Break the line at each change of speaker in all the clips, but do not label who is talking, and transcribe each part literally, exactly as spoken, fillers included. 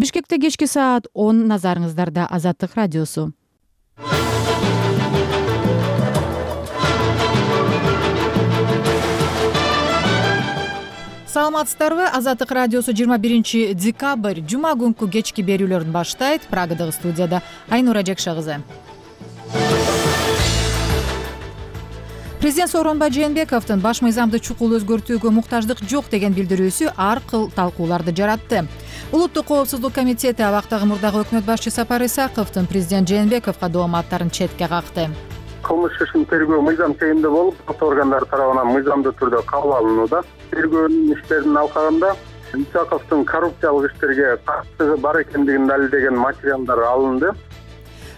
Бишкекте кечки саат он, назарыңыздарда Азаттык радиосу. Саламатсыздарбы? Азаттык радиосу жыйырма биринчи декабрь жума күнкү кечки берүүлөрүн баштайт. Прагадагы студияда Айнура Жекша кызы. Президент Сооронбай Жээнбековдун баш мыйзамды чукул өзгөртүүгө муктаждык жок деген билдирүүсү ар кыл талкууларды жаратты. Улуттук коопсуздук комитети абактагы мурдагы өкмөт башчы Сапар Исаковдун президент Жээнбековго дооматтарын четке какты.
Кылмыш ишин тергөө мыйзам чегинде болуп, сот органдары тарабынан мыйзамдуу түрдө кабыл алынууда. Тергөөнүн иштеринин алкагында Исаковдун коррупциялык иштерге катысыгы бар экендигин далилдеген материалдар алынды.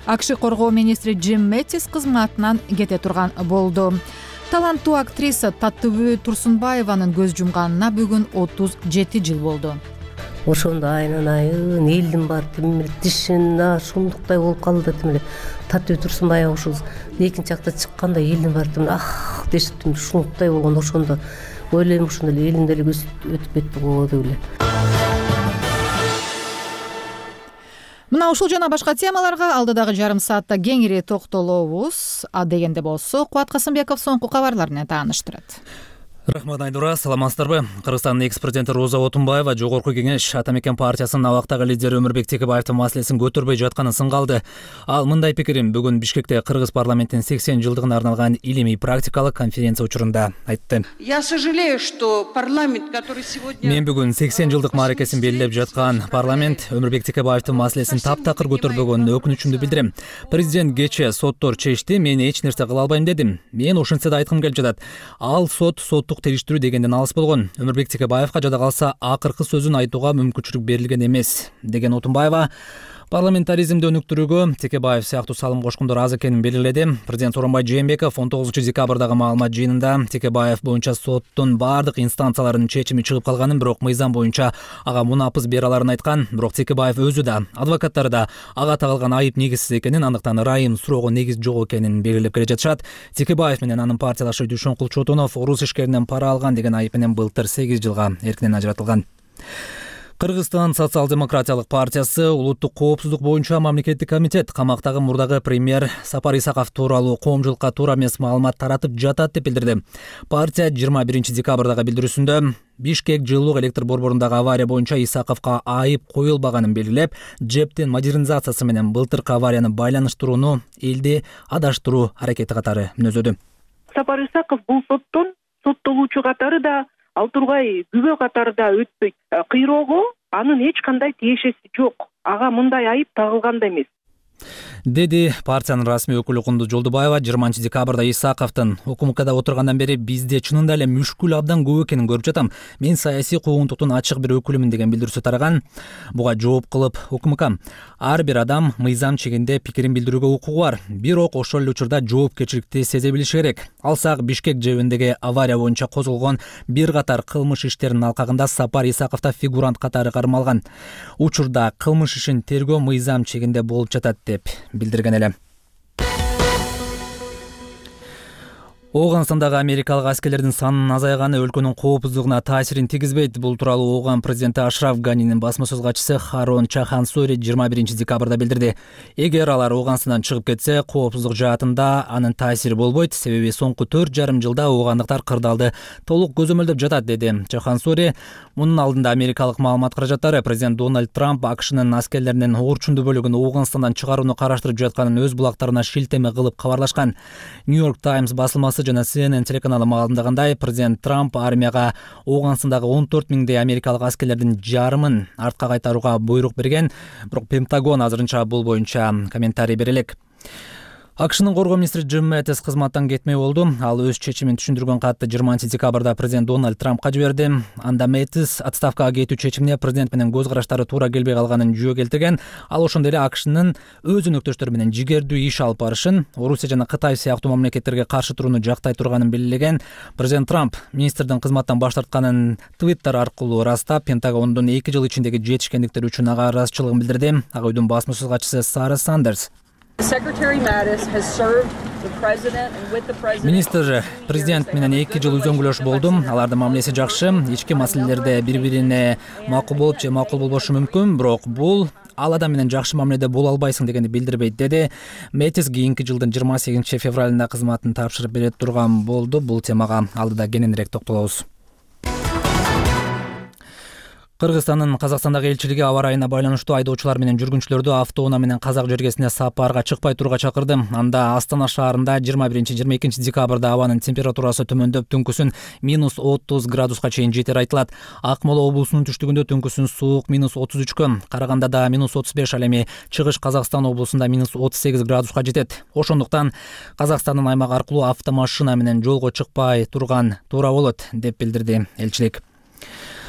АКШ коргоо министри Джим Мэттис кызматынан кете турган болду. Таланттуу актриса Таттыбү Турсунбаеванын көз жумганына бүгүн отуз жети жыл болду.
Ошондо айнын айын элдин баары тим тишин шумдуктай болуп калды. Тим Таттыбү Турсунбаева ушул экинчи акта чыкканда элдин баары тим ах дешип тим шумдуктай болгон. Ошондо ойлойм ушундай эле элдин деле көзү өтүп кетти го деп эле.
Мына ушул жана башка темаларга алдыдагы жарым саатта кеңири токтолобуз. А дегенде болсо Кубат Касымбеков соңку кабарлар менен тааныштырат.
Рахмат Айнура, саламатсыздарбы? Кыргызстандын экс-президенти Роза Отунбаева Жогорку Кеңеш Ата Мекен партиясынын абактагы лидери Өмүрбек Текебаевдин маселесин көтөрбөй жатканын сынгалды. Ал мындай пикирин бүгүн Бишкекте Кыргыз парламентинин сексен жылдыгына арналган илимий практикалык конференция учурунда айтты.
Я сожалею, что парламент, который сегодня...
Мен бүгүн сексен жылдык мааракесин белгилеп жаткан парламент Өмүрбек Текебаевдин маселесин таптакыр көтөрбөгөнүнө өкүнүчүмдү билдирем. Президент кечээ соттор чечти, мен эч нерсе кыла албайм дедим. Мен ошентсе да айткым келип жатат. Ал сот соттук териштирүү дегенден алыс болгон. Өмүрбек Текебаевга жада калса акыркы сөзүн айтууга мүмкүнчүлүк берилген эмес деген Отунбаева парламентаризмди өнүктүрүүгө Текебаев сыяктуу салым кошкондор аз экенин белгиледи. Президент Сооронбай Жээнбеков он тогузунчу декабрдагы маалымат жыйынында Текебаев боюнча соттун бардык инстанцияларынын чечими чыгып калганын, бирок мыйзам боюнча ага мунапыз бере аларын айткан. Бирок Текебаев өзү да, адвокаттары да ага тагылган айып негизсиз экенин, андыктан ырайым суроого негиз жок экенин белгилеп келе жатышат. Текебаев менен анын партиялашы Дүйшөнкул Чотонов орус ишкеринен пара алган деген айып менен былтыр сегиз жылга эркинен ажыратылган. Кыргызстан социал-демократиялык партиясы улуттук коопсуздук боюнча мамлекеттик комитет камактагы мурдагы премьер Сапар Исаков тууралуу коомчулукка туура эмес маалымат таратып жатат деп билдирди. Партия жыйырма биринчи декабрдагы билдирүүсүндө Бишкек жылуулук электр борборундагы авария боюнча Исаковго айып коюлбаганын белгилеп, жептин модернизациясы менен былтыркы аварияны байланыштырууну элди адаштыруу аракети катары мүнөздөдү.
Сапар Исаков бул соттон соттолуучу катары да, ал тургай күбө катары да өтпөйт. Кыйроого анын эч кандай тиешеси жок. Ага мындай айып тагылган да эмес,
деди партиянын расмий өкүлү Кундуз Жолдубаева. жыйырманчы декабрда Исаковдун УКМКда отургандан бери бизде чынында эле мүшкүл абдан көп экенин көрүп жатам. Мен саясий куугунтуктун ачык бир өкүлүмүн деген билдирүүсү тараган. Буга жооп кылып УКМК: ар бир адам мыйзам чегинде пикирин билдирүүгө укугу бар, бирок ошол эле учурда жоопкерчиликти сезе билиши керек. Алсак Бишкек жебиндеги авария боюнча козголгон бир катар кылмыш иштеринин алкагында Сапар Исаков да фигурант катары кармалган. Учурда кылмыш ишин тергөө мыйзам чегинде болуп жатат деп билдирген эле. Ооганстандагы америкалык аскерлердин санынын азайганы өлкөнүн коопсуздугуна таасирин тийгизбейт. Бул тууралуу Ооган президенти Ашраф Ганинин басма сөз катчысы Харон Чахансори жыйырма биринчи декабрда билдирди. Эгер алар Ооганстандан чыгып кетсе, коопсуздук жаатында анын таасири болбойт, себеби соңку төрт жарым жылда оогандыктар кырдаалды толук көзөмөлдөп жатат, деди Чахансори. Мунун алдында америкалык маалымат каражаттары президент Дональд Трамп АКШнын аскерлеринин орчундуу бөлүгүн Ооганстандан чыгарууну караштырып жатканын өз булактарына шилтеме кылып кабарлашкан. Нью-Йорк Таймс басылмасы жана Си Эн Эн телеканалы маалымдагандай, президент Трамп армияга Ооганстандагы он төрт миңдей америкалык аскерлердин жарымын артка кайтарууга буйрук берген, бирок Пентагон азырынча бул боюнча комментарий бере элек. АКШнын коргоо министри Джим Мэттис кызматтан кетмей болду. Ал өз чечимин түшүндүргөн катты жыйырманчы декабрда президент Дональд Трампка жиберди. Анда Мэттис отставкага кетүү чечимине президент менен көз караштары туура келбей калганын жүйө келтирген. Ал ошондой эле АКШнын өз өнөктөштөрү менен жигердүү иш алып барышын, Орусия жана Кытай сыяктуу мамлекеттерге каршы турууну жактай турганын белгилеген. Президент Трамп министрдин кызматтан баш тартканын Твиттер аркылуу ырастап, Пентагондун эки жыл ичиндеги жетишкендиктери үчүн ага ыраазычылыгын билдирди. Ак үйдүн басма сөз катчысы Сара Сандерс:
Secretary Mattis has served
Министр президент менен эки жыл үзөңгүлөш болдум. Алардын мамилеси жакшы. Ички маселелерде бири-бирине макул болуп же макул болбошу мүмкүн, бирок бул ал адам менен жакшы мамиледе боло албайсың дегенди билдирбейт, деди Мэтис. Кийинки жылдын жыйырма сегизинчи февралында кызматын тапшырып бере турган болду. Бул темага алдыда кененирээк токтолобуз. Кыргызстандын Казакстандагы элчилиги аба ырайына байланыштуу айдоочулар менен жүргүнчүлөрдү автоунаа менен Казак жергесине сапарга чыкпай турууга чакырды. Анда Астана шаарында жыйырма биринчи жыйырма экинчи декабрда абанын температурасы төмөндөп, түнкүсүн минус отуз градуска чейин жетери айтылат. Акмола облусунун түштүгүндө түнкүсүн суук минус отуз үчкө, Карагандада минус отуз беш, ал эми Чыгыш Казакстан облусунда минус отуз сегиз градуска жетет. Ошондуктан Казакстандын аймак аркылуу автомашина менен жолго чыкпай турган туура болот, деп билдирди элчилик.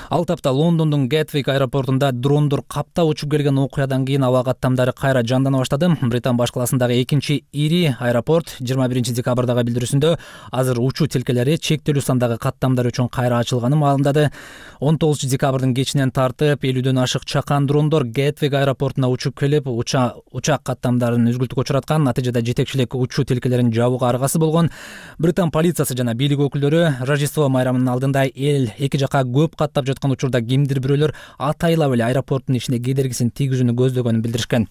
Ал тапта Лондондун Гетвик аэропортунда дрондор каптап учуп келген окуядан кийин аба каттамдары кайра жандана баштады. Британ башкаласындагы экинчи ири аэропорт жыйырма биринчи декабрдагы билдирүүсүндө азыр учуу тилкелери чектелүү сандагы каттамдар үчүн кайра ачылганын маалымдады. он тогузунчу декабрдын кечинен тартып элүүдөн ашык чакан дрондор Гетвик аэропортуна учуп келип, учак каттамдарын үзгүлтүккө учураткан. Натыйжада жетекчилик учуу тилкелерин жабууга аргасы болгон. Британ полициясы жана бийлик өкүлдөрү Рождество майрамынын алдында эл эки жака көп каттап жаткан учурда кимдир бирөөлөр атайлап эле аэропорттун ичине кедергисин тийгизүүнү көздөгөнүн билдиришкен.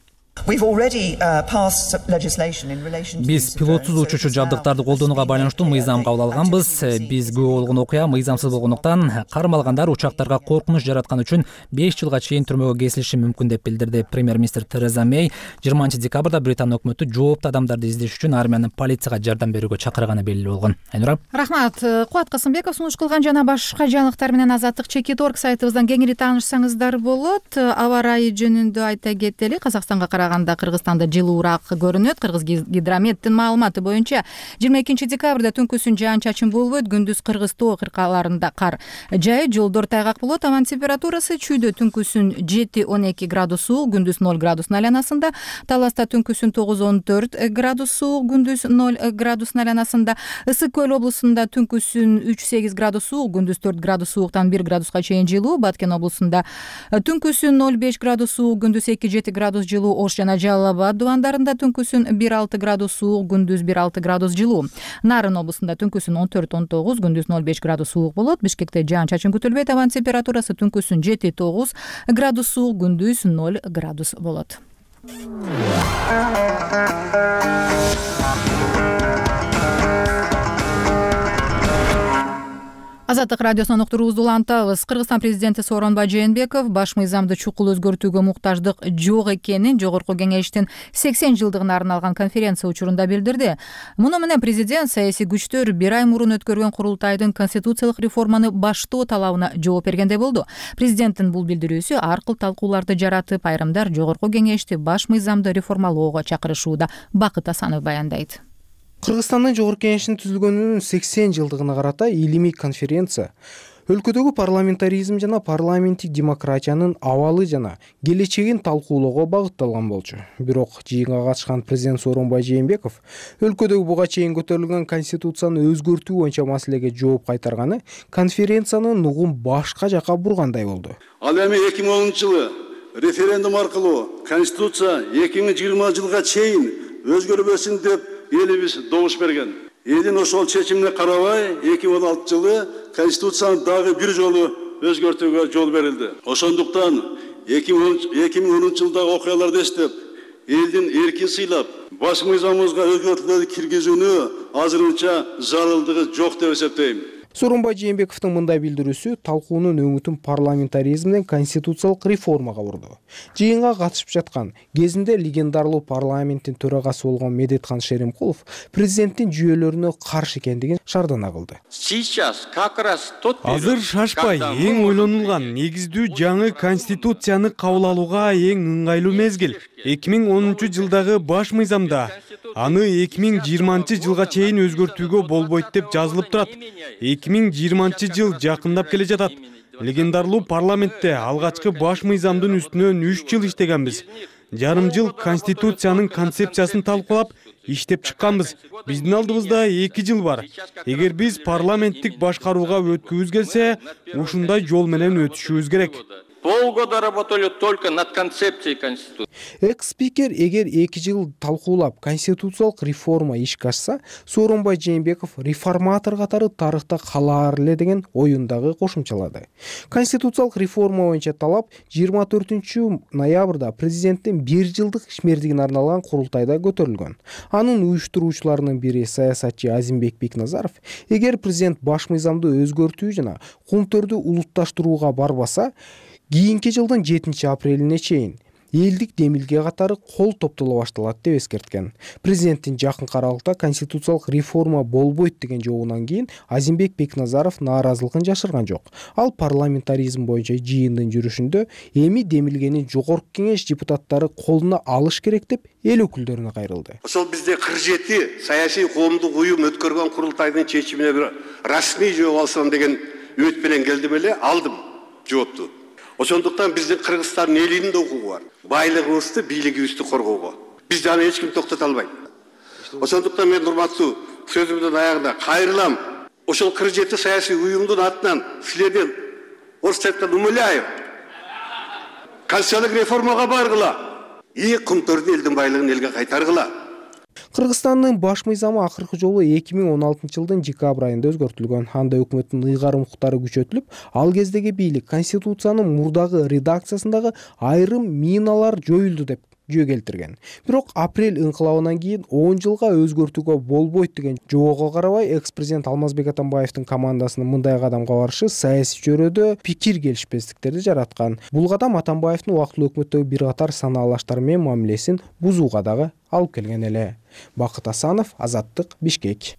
Биз пилотсуз учуучу жабдыктарды колдонууга байланыштуу мыйзам кабыл алганбыз. Биз күбө болгон окуя мыйзамсыз болгондуктан кармалгандар учактарга коркунуч жараткан үчүн беш жылга чейин түрмөгө кесилиши мүмкүн, деп билдирди премьер-министр Тереза Мэй. жыйырманчы декабрда Британ өкмөтү жооптуу адамдарды издеш үчүн армиянын полицияга жардам берүүгө чакырганы белгилүү болгон. Айнура.
Рахмат. Кубат Касымбеков сунуш кылган жана башка жаңылыктар менен Азаттык чекит орг сайтыбыздан кеңири таанышсаңыздар болот. Аба ырайы жөнүндө айта кетели. Казакстанга караганда Кыргызстанда жылуураак көрүнөт. Кыргыз гидрометтин маалыматы боюнча жыйырма экинчи декабрда түнкүсүн жаан-чачын болбойт. Күндүз Кыргыз тоо кыркаларында кар жайы, жолдор тайгак болот. Абан температурасы чүйдө түнкүсүн жети он эки градус суук, күндүз ноль градустун айланасында. Таласта түнкүсүн тогуз он төрт градус суук, күндүз ноль градустун айланасында. Ысык көл облусунда түнкүсүн үч сегиз градус суук, күндүз төрт градус сууктан бир градуска чейин жылуу. Баткен облусунда түнкүсүн ноль беш градус суук, күндүз эки жети градус жылуу. Ош жана Жалал Абад дубандарында түнкүсүн бир алты градус суук, күндүз бир алты градус жылуу. Нарын облусунда түнкүсүн он төрт он тогуз, күндүз ноль беш градус суук болот. Бишкекте жаан-чачын күтүлбөйт. Абан температурасы түнкүсүн жети тогуз градус суук, күндүз ноль градус болот. Азаттык радиосунан уктуруубузду улантабыз. Кыргызстан президенти Сооронбай Жээнбеков баш мыйзамды чукул өзгөртүүгө муктаждык жок экенин Жогорку Кеңештин сексен жылдыгына арналган конференция учурунда билдирди. Муну менен президент саясий күчтөр бир ай мурун өткөргөн курултайдын конституциялык реформаны баштоо талабына жооп бергендей болду. Президенттин бул билдирүүсү ар кыл талкууларды жаратып, айрымдар Жогорку Кеңешти баш мыйзамды реформалоого чакырышууда. Бакыт Асанов баяндайт.
Кыргызстандын Жогорку Кеңешинин түзүлгөнүнүн сексен жылдыгына карата илимий конференция өлкөдөгү парламентаризм жана парламенттик демократиянын абалы жана келечегин талкуулоого багытталган болчу. Бирок жыйынга катышкан президент Сооронбай Жээнбеков өлкөдөгү буга чейин көтөрүлгөн конституцияны өзгөртүү боюнча маселеге жооп кайтарганы конференциянын нугун башка жака бургандай болду.
Ал эми эки миң онунчу жылы референдум аркылуу конституция эки миң жыйырма жылга чейин өзгөрбөсүн деп элибиз добуш берген. Элин ошол чечимине карабай эки миң он алтынчы жылы конституцияны дагы бир жолу өзгөртүүгө жол берилди. Ошондуктан эки миң онунчу жылдагы окуяларды эстеп, элдин эркин сыйлап, баш мыйзамыбызга өзгөртүүлөрдү киргизүүнү азырынча зарылдыгы жок деп эсептейм.
Сооронбай Жээнбековдун мындай билдирүүсү талкуунун өңүтүн парламентаризм менен конституциялык реформага бурду. Жыйынга катышып жаткан кезинде легендарлуу парламенттин төрагасы болгон Медетхан Шеримкулов президенттин жүйөлөрүнө каршы экендигин шардана кылды.
Азыр шашпай эң ойлонулган негиздүү жаңы конституцияны кабыл алууга эң ыңгайлуу мезгил. эки миң онунчу жылдагы баш мыйзамда аны эки миң жыйырманчы жылга чейин өзгөртүүгө болбойт деп жазылып турат. эки миң жыйырманчы жыл жакындап келе жатат. Легендарлуу парламентте алгачкы баш мыйзамдын үстүнөн үч жыл иштегенбиз. Жарым жыл конституциянын концепциясын талкуулап, иштеп чыкканбыз. Биздин алдыбызда эки жыл бар. Эгер биз парламенттик башкарууга өткүбүз келсе, ушундай жол менен өтүшүбүз керек.
Полгода работали только над концепцией Конституции.
Экс спикер эгер эки жыл талкуулап конституциялык реформа ишке ашса, Сооронбай Жээнбеков реформатор катары тарыхта калаар эле деген оюн дагы кошумчалады. Конституциялык реформа боюнча талап жыйырма төртүнчү ноябрда президенттин бир жылдык ишмердигине арналган курултайда көтөрүлгөн. Анын уюштуруучуларынын бири саясатчы Азимбек Бекназаров, эгер президент баш мыйзамды өзгөртүү жана кумтөрдү улутташтырууга барбаса, кийинки жылдын жетинчи апрелине чейин элдик демилге катары кол топтоло башталат деп эскерткен. Президенттин жакынкы аралыкта конституциялык реформа болбойт деген жообунан кийин Азимбек Бекназаров нааразылыгын жашырган жок. Ал парламентаризм боюнча жыйындын жүрүшүндө эми демилгени жогорку кеңеш депутаттары колуна алыш керек деп эл өкүлдөрүнө кайрылды.
Ошол бизде кырк жети саясий коомдук уюм өткөргөн курултайдын чечимине бир расмий жооп алсам деген үмүт менен келдим эле, алдым жоопту. Ошондуктан биздин Кыргызстандын элинин да укугу бар. Байлыгыбызды, бийлигибизди коргоого. Биз аны эч ким токтото албайт. Ошондуктан мен урматтуу сөзүмдүн аягында кайрылам. Ошол кырк жети саясий уюмдун атынан силерден орусча айтканда умоляю. Конституциялык реформага баргыла. И кумтөрдү элдин байлыгын элге кайтаргыла.
Кыргызстандын баш мыйзамы акыркы жолу эки миң он алтынчы жылдын декабрь айында өзгөртүлгөн. Анда өкмөттүн ыйгарым укуктары күчөтүлүп, ал кездеги бийлик конституциянын мурдагы редакциясындагы айрым миналар жоюлду деп жөө келтирген. Бирок апрель ыңкылабынан кийин он жылга өзгөртүүгө болбойт деген жоого карабай, экс-президент Алмазбек Атамбаевдин командасынын мындай кадамга барышы саясий чөйрөдө пикир келишпестиктерди жараткан. Бул кадам Атамбаевдин убактылуу өкмөттөгү бир катар санаалаштар менен мамилесин бузууга дагы алып келген эле. Бакыт Асанов, Азаттык, Бишкек.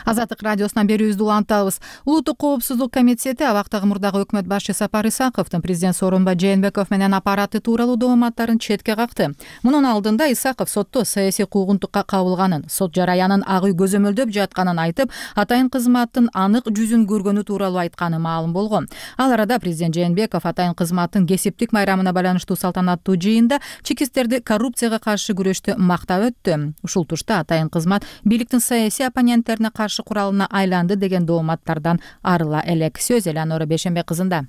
Азаттык радиосунан берүүбүздү улантабыз. Улуттук коопсуздук комитети абактагы мурдагы өкмөт башчы Сапар Исаковдун президент Сооронбай Жээнбеков менен аппараты тууралуу дооматтарын четке какты. Мунун алдында Исаков сотто саясий куугунтукка кабылганын, сот жараянын ак үй көзөмөлдөп жатканын айтып, атайын кызматтын анык жүзүн көргөнү тууралуу айтканы маалым болгон. Ал арада президент Жээнбеков атайын кызматтын кесиптик майрамына байланыштуу салтанаттуу жыйында чекисттерди коррупцияга каршы күрөштү мактап өттү. Ушул тушта атайын кызмат бийликтин саясий оппоненттерине каршы куралына айланды деген дооматтардан арыла элек. Сөз Элеонора Бейшенбек кызында.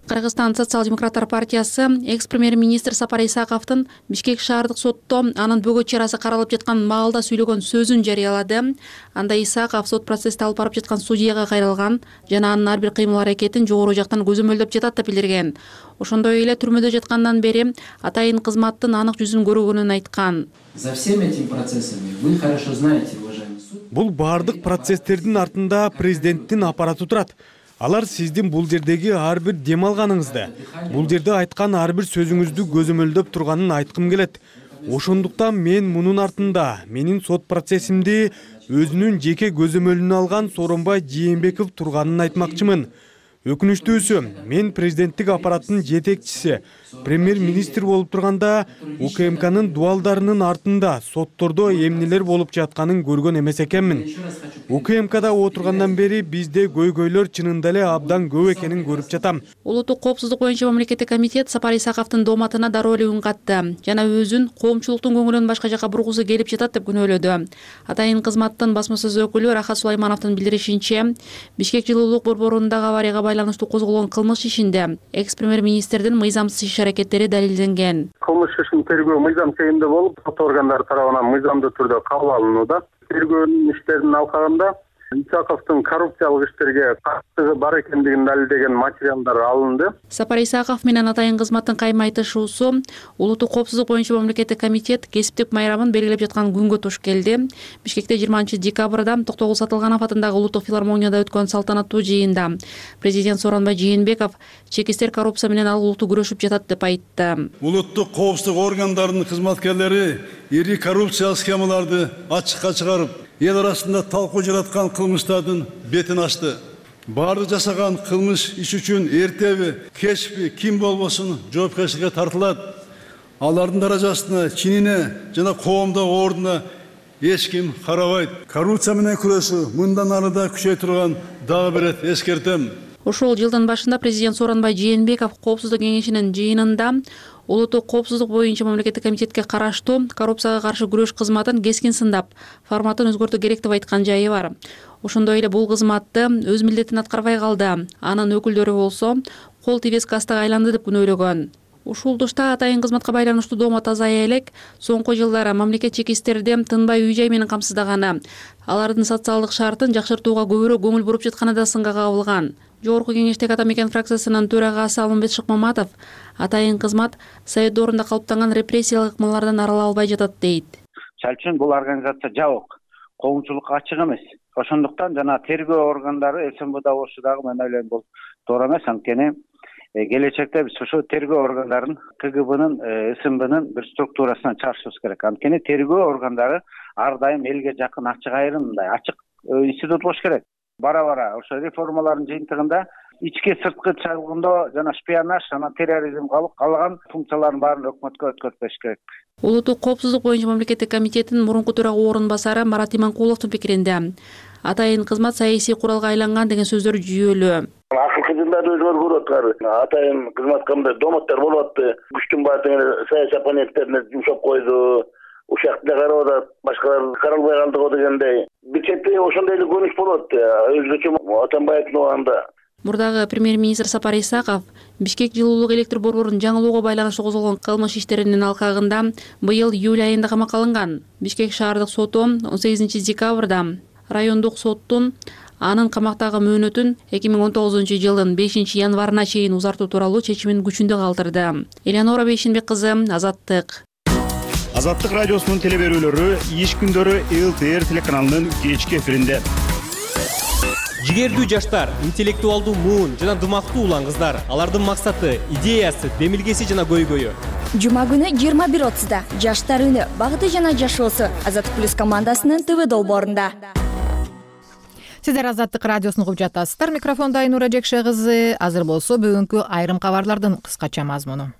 Кыргызстан социал-демократтар партиясы экс-премьер-министр Сапар Исаковдун Бишкек шаардык сотто анын бөгөт чарасы каралып жаткан маалда сүйлөгөн сөзүн жарыялады. Анда Исаков сот процессти алып барып жаткан судьяга кайрылган жана анын ар бир кыймыл-аракетин жогору жактан көзөмөлдөп жатат деп билдирген. Ошондой эле түрмөдө жаткандан бери атайын кызматтын анык жүзүн көргөнүн айткан.
За всеми этими процессами вы хорошо знаете, уважаемый суд.
Бул бардык процесстердин артында президенттин аппараты турат. Алар сиздин бул жердеги ар бир дем алганыңызды, бул жерде айткан ар бир сөзүңүздү көзөмөлдөп турганын айткым келет. Ошондуктан мен мунун артында менин сот процессимди өзүнүн жеке көзөмөлүнө алган Сооронбай Жээнбеков турганын айтмакчымын. Өкүнүчтүүсү, мен президенттик аппараттын жетекчиси, премьер-министр болуп турганда УКМКнын дуалдарынын артында соттордо эмнелер болуп жатканын көргөн эмес экенмин. УКМКда отургандан бери бизде көйгөйлөр чынында эле абдан көп экенин көрүп жатам.
Улуттук коопсуздук боюнча мамлекеттик комитет Сапар Исаковдун дооматына дароо эле үн катты жана өзүн коомчулуктун көңүлүн башка жака бургусу келип жатат деп күнөөлөдү. Атайын кызматтын басма сөз өкүлү Рахат Сулаймановдун билдиришинче, Бишкек жылуулук борборундагы аварияга байланыштуу козголгон кылмыш ишинде экс-премьер-министрдин мыйзамсыз иш-аракеттери далилденген.
Кылмыш ишин тергөө мыйзам чегинде болуп, сот органдары тарабынан мыйзамдуу түрдө кабыл алынууда. Тергөөнүн иштеринин алкагында Исаковдун коррупциялык иштерге каттыгы бар экендигин далилдеген материалдар алынды.
Сапар Исаков менен атайын кызматтын кайма айтышуусу улуттук коопсуздук боюнча мамлекеттик комитет кесиптик майрамын белгилеп жаткан күнгө туш келди. Бишкекте жыйырманчы декабрда Токтогул Сатылганов атындагы улуттук филармонияда өткөн салтанаттуу жыйында президент Сооронбай Жээнбеков чекистер коррупция менен алгылуу күрөшүп жатат деп айтты.
Улуттук коопсуздук органдарынын кызматкерлери ири коррупциялык схемаларды ачыкка чыгарып, эл арасында талкуу жараткан кылмыштардын бетин ачты. Баары жасаган кылмыш иш үчүн эртеби, кечпи, ким болбосун жоопкерчиликке тартылат. Алардын даражасына, чинине жана коомдогу ордуна эч ким карабайт. Коррупция менен күрөшүү мындан ары да күчөй турган дагы бир рет эскертем.
Ошол жылдын башында президент Сооронбай Жээнбеков коопсуздук кеңешинин жыйынында улуттук коопсуздук боюнча мамлекеттик комитетке караштуу коррупцияга каршы күрөш кызматын кескин сындап, форматын өзгөртүү керек деп айткан жайы бар. Ошондой эле бул кызматты өз милдетин аткарбай калды. Анын өкүлдөрү болсо кол тийбес кастага айланды деп күнөөлөгөн. Ушул тушта атайын кызматка байланыштуу доомат азая элек, соңку жылдары мамлекет чек истерди тынбай үй-жай менен камсыздаганы, алардын социалдык шартын жакшыртууга көбүрөөк көңүл буруп жатканы да сынга кабылган. Жогорку кеңештеги ата мекен фракциясынын төрагасы Алмамбет Шыкмаматов атайын кызмат совет доорунда калыптанган репрессиялык ыкмалардан арыла албай жатат дейт.
Чал үчүн бул организация жабык, коомчулукка ачык эмес. Ошондуктан жана тергөө органдары эс эм бэ болушу дагы мен ойлойм бул туура эмес. Анткени келечекте биз ошо тергөө органдарын К Г Бнын, эс эм Бнын бир структурасынан чыгарышыбыз керек. Анткени тергөө органдары ар дайым элге жакын, ачык айрым, мындай ачык институт болуш керек. Бара-бара ошо реформалардын жыйынтыгында ички сырткы чалгындоо жана шпионаж жана терроризм калган функциялардын баарын өкмөткө өткөртпөш керек.
Улуттук коопсуздук боюнча мамлекеттик комитеттин мурунку төрага орун басары Марат Иманкуловдун пикиринде атайын кызмат саясий куралга айланган деген сөздөр жүйөлүү.
Акыркы жылдары өзгөрүп аткар. Атайын кызматка мындай дооматтар болуп атты. Күчтүн баардыгы саясий оппоненттерине жумшап койду. Ушакты да карап атат, башкалар каралбай калды го дегендей. Бир четте ошондой эле көрүнүш болот. Өзгөчө Атамбаевдин убагында.
Мурдагы премьер-министр Сапар Исаков Бишкек жылуулук электр борборун жаңылоого байланыштуу козголгон кылмыш иштеринин алкагында быйыл июль айында камакка алынган. Бишкек шаардык соту он сегизинчи декабрда райондук соттун анын камактагы мөөнөтүн эки миң он тогузунчу жылдын бешинчи январына чейин узартуу тууралуу чечимин күчүндө калтырды. Элеонора Бейшенбек кызы, Азаттык.
Азаттык радиосунун телеберүүлөрү иш күндөрү Л Т Р телеканалынын кечки эфиринде.
Жигердүү жаштар, интеллектуалдуу муун жана дымактуу улан кыздар, алардын максаты, идеясы, демилгеси жана көйгөйү.
Жума күнү жыйырма бир отузда Жаштар үнү, багыты жана жашоосу Азаттык плюс командасынын Т В долбоорунда.
Сиздер Азаттык радиосун угуп жатасыздар. Микрофондо Айнура Жекше кызы. Азыр болсо бүгүнкү айрым кабарлардын кыскача мазмуну.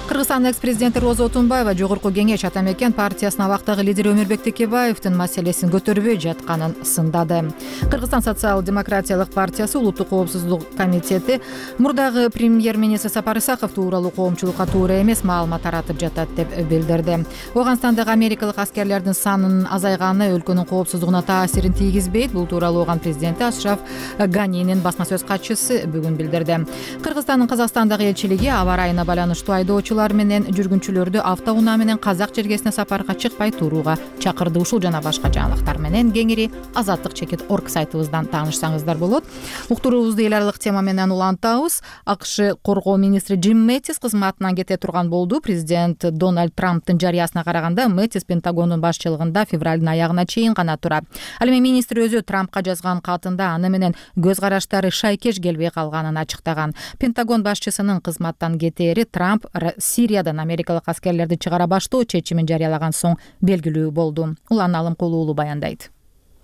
Кыргызстандын экс-президенти Роза Отунбаева Жогорку кеңеш ата мекен партиясынын абактагы лидери Өмүрбек Текебаевдин маселесин көтөрбөй жатканын сындады. Кыргызстан социал-демократиялык партиясы улуттук коопсуздук комитети мурдагы премьер-министр Сапар Исаков тууралуу коомчулукка туура эмес маалымат таратып жатат деп билдирди. Оганстандагы америкалык аскерлердин санынын азайганы өлкөнүн коопсуздугуна таасирин тийгизбейт. Бул тууралуу Оган президенти Ашраф Ганинин басма сөз катчысы бүгүн билдирди. Кыргызстандын Казакстандагы элчилиги аба ырайына байланыштуу айдоочулар менен жүргүнчүлөрдү автоунаа менен Казак жергесине сапарга чыкпай турууга чакырды. Ушул жана башка жаңылыктар менен кеңири азаттык чекит орг сайтыбыздан таанышсаңыздар болот. Уктуруубузду эл аралык тема менен улантабыз. АКШ коргоо министри Джим Мэттис кызматынан кете турган болду. Президент Дональд Трамптын жарыясына караганда Мэттис Пентагондун башчылыгында февралдын аягына чейин гана турат. Ал эми министр өзү Трампка жазган катында аны менен көз караштары шайкеш келбей калганын ачыктаган. Пентагон башчысынын кызматтан кетери Трамп Сириядан америкалык аскерлерди чыгара баштоо чечимин жарыялаган соң белгилүү болду. Улан Алымкулуу уулу баяндайт.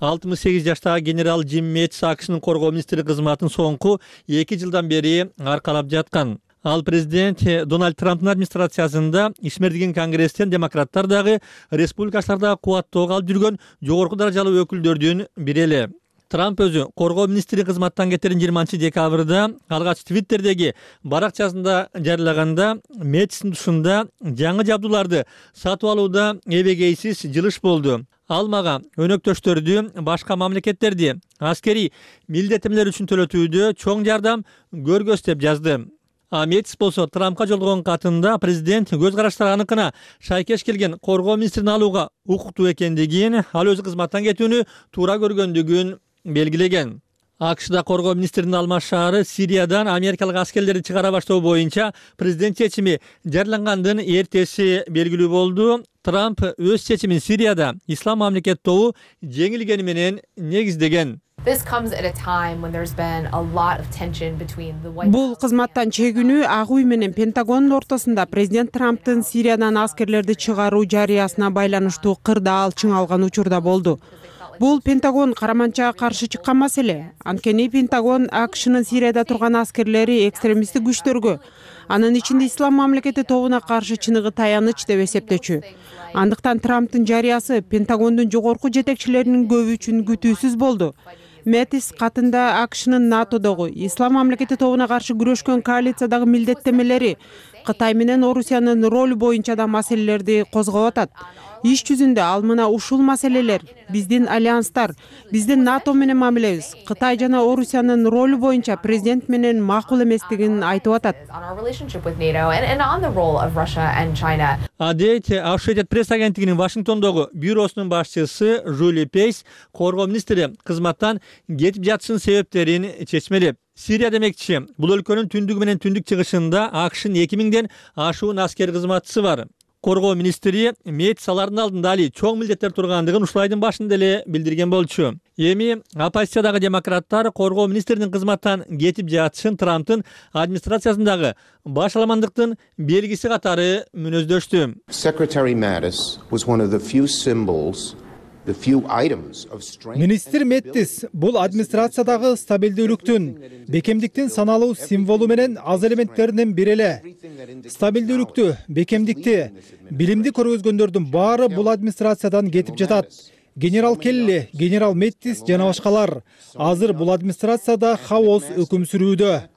алтымыш сегиз жаштагы генерал Джим Мэттис АКШнын коргоо министри кызматын соңку эки жылдан бери аркалап жаткан. Ал президент Дональд Трамптын администрациясында ишмердиген конгресстен демократтар дагы республикачылар дагы кубаттоого алып жүргөн жогорку даражалуу өкүлдөрдүн бири эле. Трамп өзү коргоо министри кызматтан кетерин жыйырманчы декабрда алгач Твиттердеги баракчасында жарыялаганда Мэттистин тушунда жаңы жабдууларды сатып алууда эбегейсиз жылыш болду. Ал мага өнөктөштөрдү, башка мамлекеттерди аскерий милдеттемелер үчүн төлөтүүдө чоң жардам көргөс деп жазды. А Мэттис болсо Трампка жолдогон катында президент көз караштары аныкына шайкеш келген коргоо министрин алууга укуктуу экендигин, ал өзү кызматтан кетүүнү туура көргөндүгүн белгилеген. АКШда коргоо министринин алмашаары Сириядан америкалык аскерлерди чыгара баштоо боюнча президент чечими жарыялангандын эртеси белгилүү болду. Трамп өз чечимин Сирияда ислам мамлекет тобу жеңилгени менен негиздеген.
Бул кызматтан чегүүнү Ак үй менен Пентагондун ортосунда президент Трамптын Сириядан аскерлерди чыгаруу жарыясына байланыштуу кырдаал чыңалган учурда болду. Бул Пентагон караманчага каршы чыккан маселе. Анткени Пентагон АКШнын Сирияда турган аскерлери экстремисттик күчтөргө, анын ичинде ислам мамлекети тобуна каршы чыныгы таяныч деп эсептечү. Андыктан Трамптын жарыясы Пентагондун жогорку жетекчилеринин көбү үчүн күтүүсүз болду. Мэттис катында АКШнын НАТОдогу ислам мамлекети тобуна каршы күрөшкөн коалициядагы милдеттемелери Кытай менен Орусиянын ролу боюнча да маселелерди козгоп атат. Иш жүзүндө ал мына ушул маселелер биздин альянстар, биздин НАТО менен мамилебиз, Кытай жана Орусиянын ролу боюнча президент менен макул эместигин айтып атат.
Адейт Associated Press агенттигинин Вашингтондогу бюросунун башчысы Жули Пейс коргоо министри кызматтан кетип жатышынын себептерин чечмелеп, Сирия демекчи, бул өлкөнүн түндүгү менен түндүк чыгышында АКШнын эки миңден ашуун аскер кызматчысы бар. Коргоо министри Мейт алардын алдында али чоң милдеттер тургандыгын ушул айдын башында эле билдирген болчу. Эми оппозициядагы демократтар коргоо министринин кызматтан кетип жатышын Трамптын администрациясындагы башаламандыктын белгиси катары мүнөздөштү.
Secretary Mattis was one of the few symbols
Министр Мэттис бул администрациядагы стабилдүүлүктүн, бекемдиктин саналуу символу менен аз элементтеринен бири эле. Стабилдүүлүктү, бекемдикти, билимди көргөзгөндөрдүн баары бул администрациядан кетип жатат. Генерал Келли, генерал Мэттис жана башкалар. Азыр бул администрацияда хаос өкүм сүрүүдө.